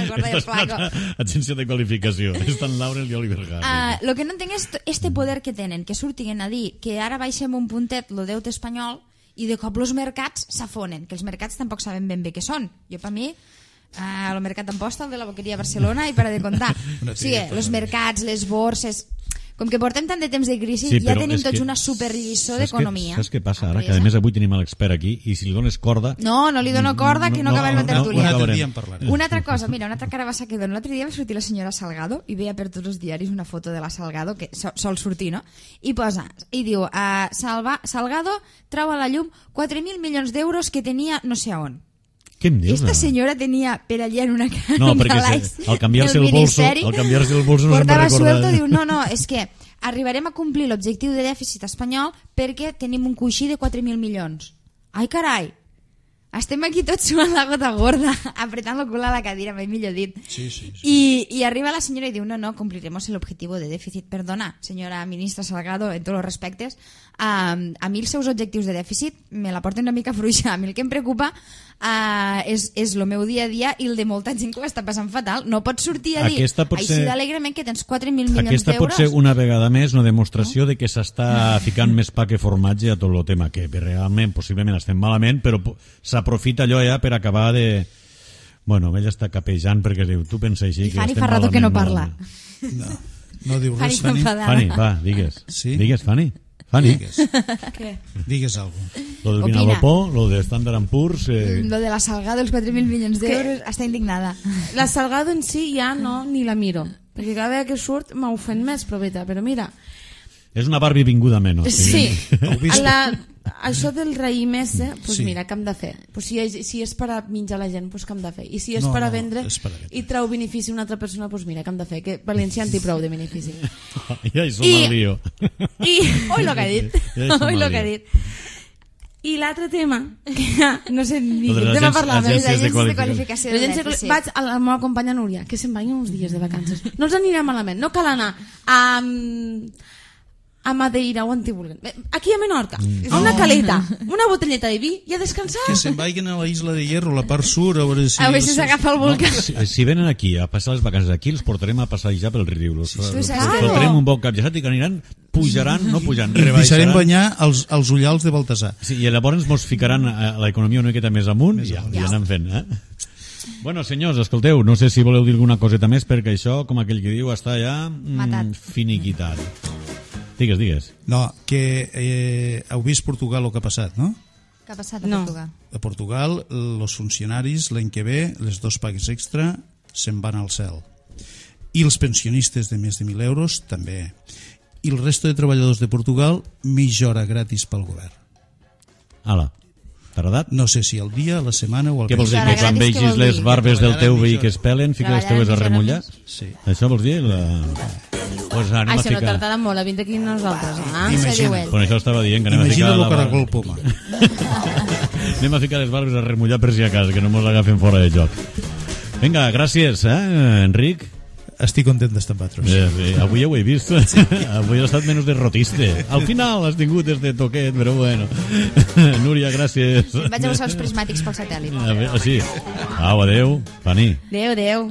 Gorda i el flaco. Agència de qualificació. Stan Lauren i Oliver Hardy. Uh, lo que no entenc és este poder que tenen, que surtin a dir que ara baixem un puntet lo deute espanyol i de cop els mercats s'afonen, que els mercats tampoc saben ben bé què són. Jo, per mi, uh, el mercat d'Amposta, el de la Boqueria Barcelona, i para de comptar. O sigui, els mercats, les borses... Com que portem tant de temps de crisi, sí, ja tenim tots una superlliçó d'economia. Saps què passa ara? Que a més avui tenim l'expert aquí i si li dones corda... No, no li dono corda, que no, no acabem la tertúlia. Un altre dia en parlarem. Una altra cosa, mira, una altra carabassa que dono. L'altre dia va sortir la senyora Salgado i veia per tots els diaris una foto de la Salgado, que sol sortir, no? I posa, i diu, uh, Salva, Salgado trau a la llum quatre mil milions d'euros que tenia no sé on. Què em dius? Esta senyora tenia per allà en una no, perquè se, al canviar-se el bolso, al canviar-se el bolso no se'n va recordar. Portava suelto, diu, no, no, és que arribarem a complir l'objectiu de dèficit espanyol perquè tenim un coixí de quatre mil milions. Ai, carai! Estem aquí tots suant la gota gorda, apretant el cul a la cadira, mai millor dit. Sí, sí, sí. I, I arriba la senyora i diu, no, no, cumpliremos el objetivo de dèficit. Perdona, senyora ministra Salgado, en tots els respectes, um, a mi els seus objectius de dèficit me la porten una mica fluixa. A mi el que em preocupa uh, és, és el meu dia a dia i el de molta gent que ho està passant fatal. No pots sortir a dir, així ser... d'alegrement, que tens quatre mil milions d'euros. Aquesta pot ser una vegada més una demostració no? de que s'està ficant més pa que formatge a tot el tema, que realment, possiblement estem malament, però s'aprofita allò ja per acabar de... Bueno, ella està capejant perquè diu, tu pensa així... I Fanny fa rato que no parla. No, no diu res, Fanny. Fanny, va, digues. Sí? Digues, Fanny. Fanny. Digues. Què? Digues alguna cosa. Lo del Vinalopó, lo de Standard and Poor's... Eh... Lo de la Salgado, els quatre mil milions d'euros, està indignada. La Salgado en si ja no, ni la miro. Perquè cada vegada que surt m'ofèn més, proveta. Però mira... És una Barbie vinguda menys. Sí. La, això del raïm ese, pues sí. mira, què hem de fer? Pues si, és, si és per a menjar la gent, pues què hem de fer? I si és no, per a no, vendre per a vendre. i treu benefici a una altra persona, pues mira, què hem de fer? Que València en té prou de benefici. Ja hi som al lío. I... Oi, lo que ha dit. Ja Oi, lo que ha dit. I l'altre tema, que ja, no sé ni de què tema parlar, agències Les agències de de qualificació. qualificació del L'agència- dèficit. vaig a la meva companya Núria, que se'n vagin uns dies de vacances. No els anirà malament, no cal anar a, a Madeira o on t'hi vulguin. Aquí a Menorca, Mm. a una caleta, una botelleta de vi i a descansar. Que se'n vagin a la Isla de Hierro, la part sur, a veure si... A veure si s'agafa el volcà. Si, si venen aquí a passar les vacances aquí, els portarem a passejar pel riu. Els, Tu els saps que- fotrem un bon cap de setmana i que aniran, pujaran, no pujaran, I deixarem rebaixaran. banyar els, els ullals de Baltasar. Sí, i llavors mos ficaran a l'economia una miqueta més amunt i ja, ja anem fent, eh? Bueno, senyors, escolteu, no sé si voleu dir alguna coseta més perquè això, com aquell que diu, està ja Matat. mm, finiquitat. Digues, digues. No, que eh, heu vist Portugal el que ha passat, no? Què ha passat a No. Portugal? A Portugal, els funcionaris, l'any que ve, les dos pagues extra se'n van al cel. I els pensionistes de més de mil euros també. i el resto de treballadors de Portugal mitja hora gratis pel govern. Ala, t'ha agradat? No sé si al dia, a la setmana o al Què vols dir? Mitja hora Que quan gratis, què vegis vol les dir? barbes del teu Treballar veí mitja que es pelen, fica les Treballar teues a mitja hora remullar? més. Sí. Això vols dir? La... Pues anem a Això no ficar... tardarà molt a vindre aquí nosaltres. Ah? Això Imagina't. diu ell. Pues això estava dient, que anem a Imagina't ficar... el la bar- caragol poma. Anem a ficar les barbes a remullar per si a casa, que no mos agafen fora de joc. Vinga, gràcies, eh, Enric. Estic content d'estar amb vosaltres. Sí, sí. Avui ja ho he vist. Sí. Avui has estat menys derrotista. Al final has tingut este toquet, però bueno. Núria, gràcies. Vaig a buscar els prismàtics pel satèl·lit. A veure, sí. Au, adeu. Pani. Adéu, adéu.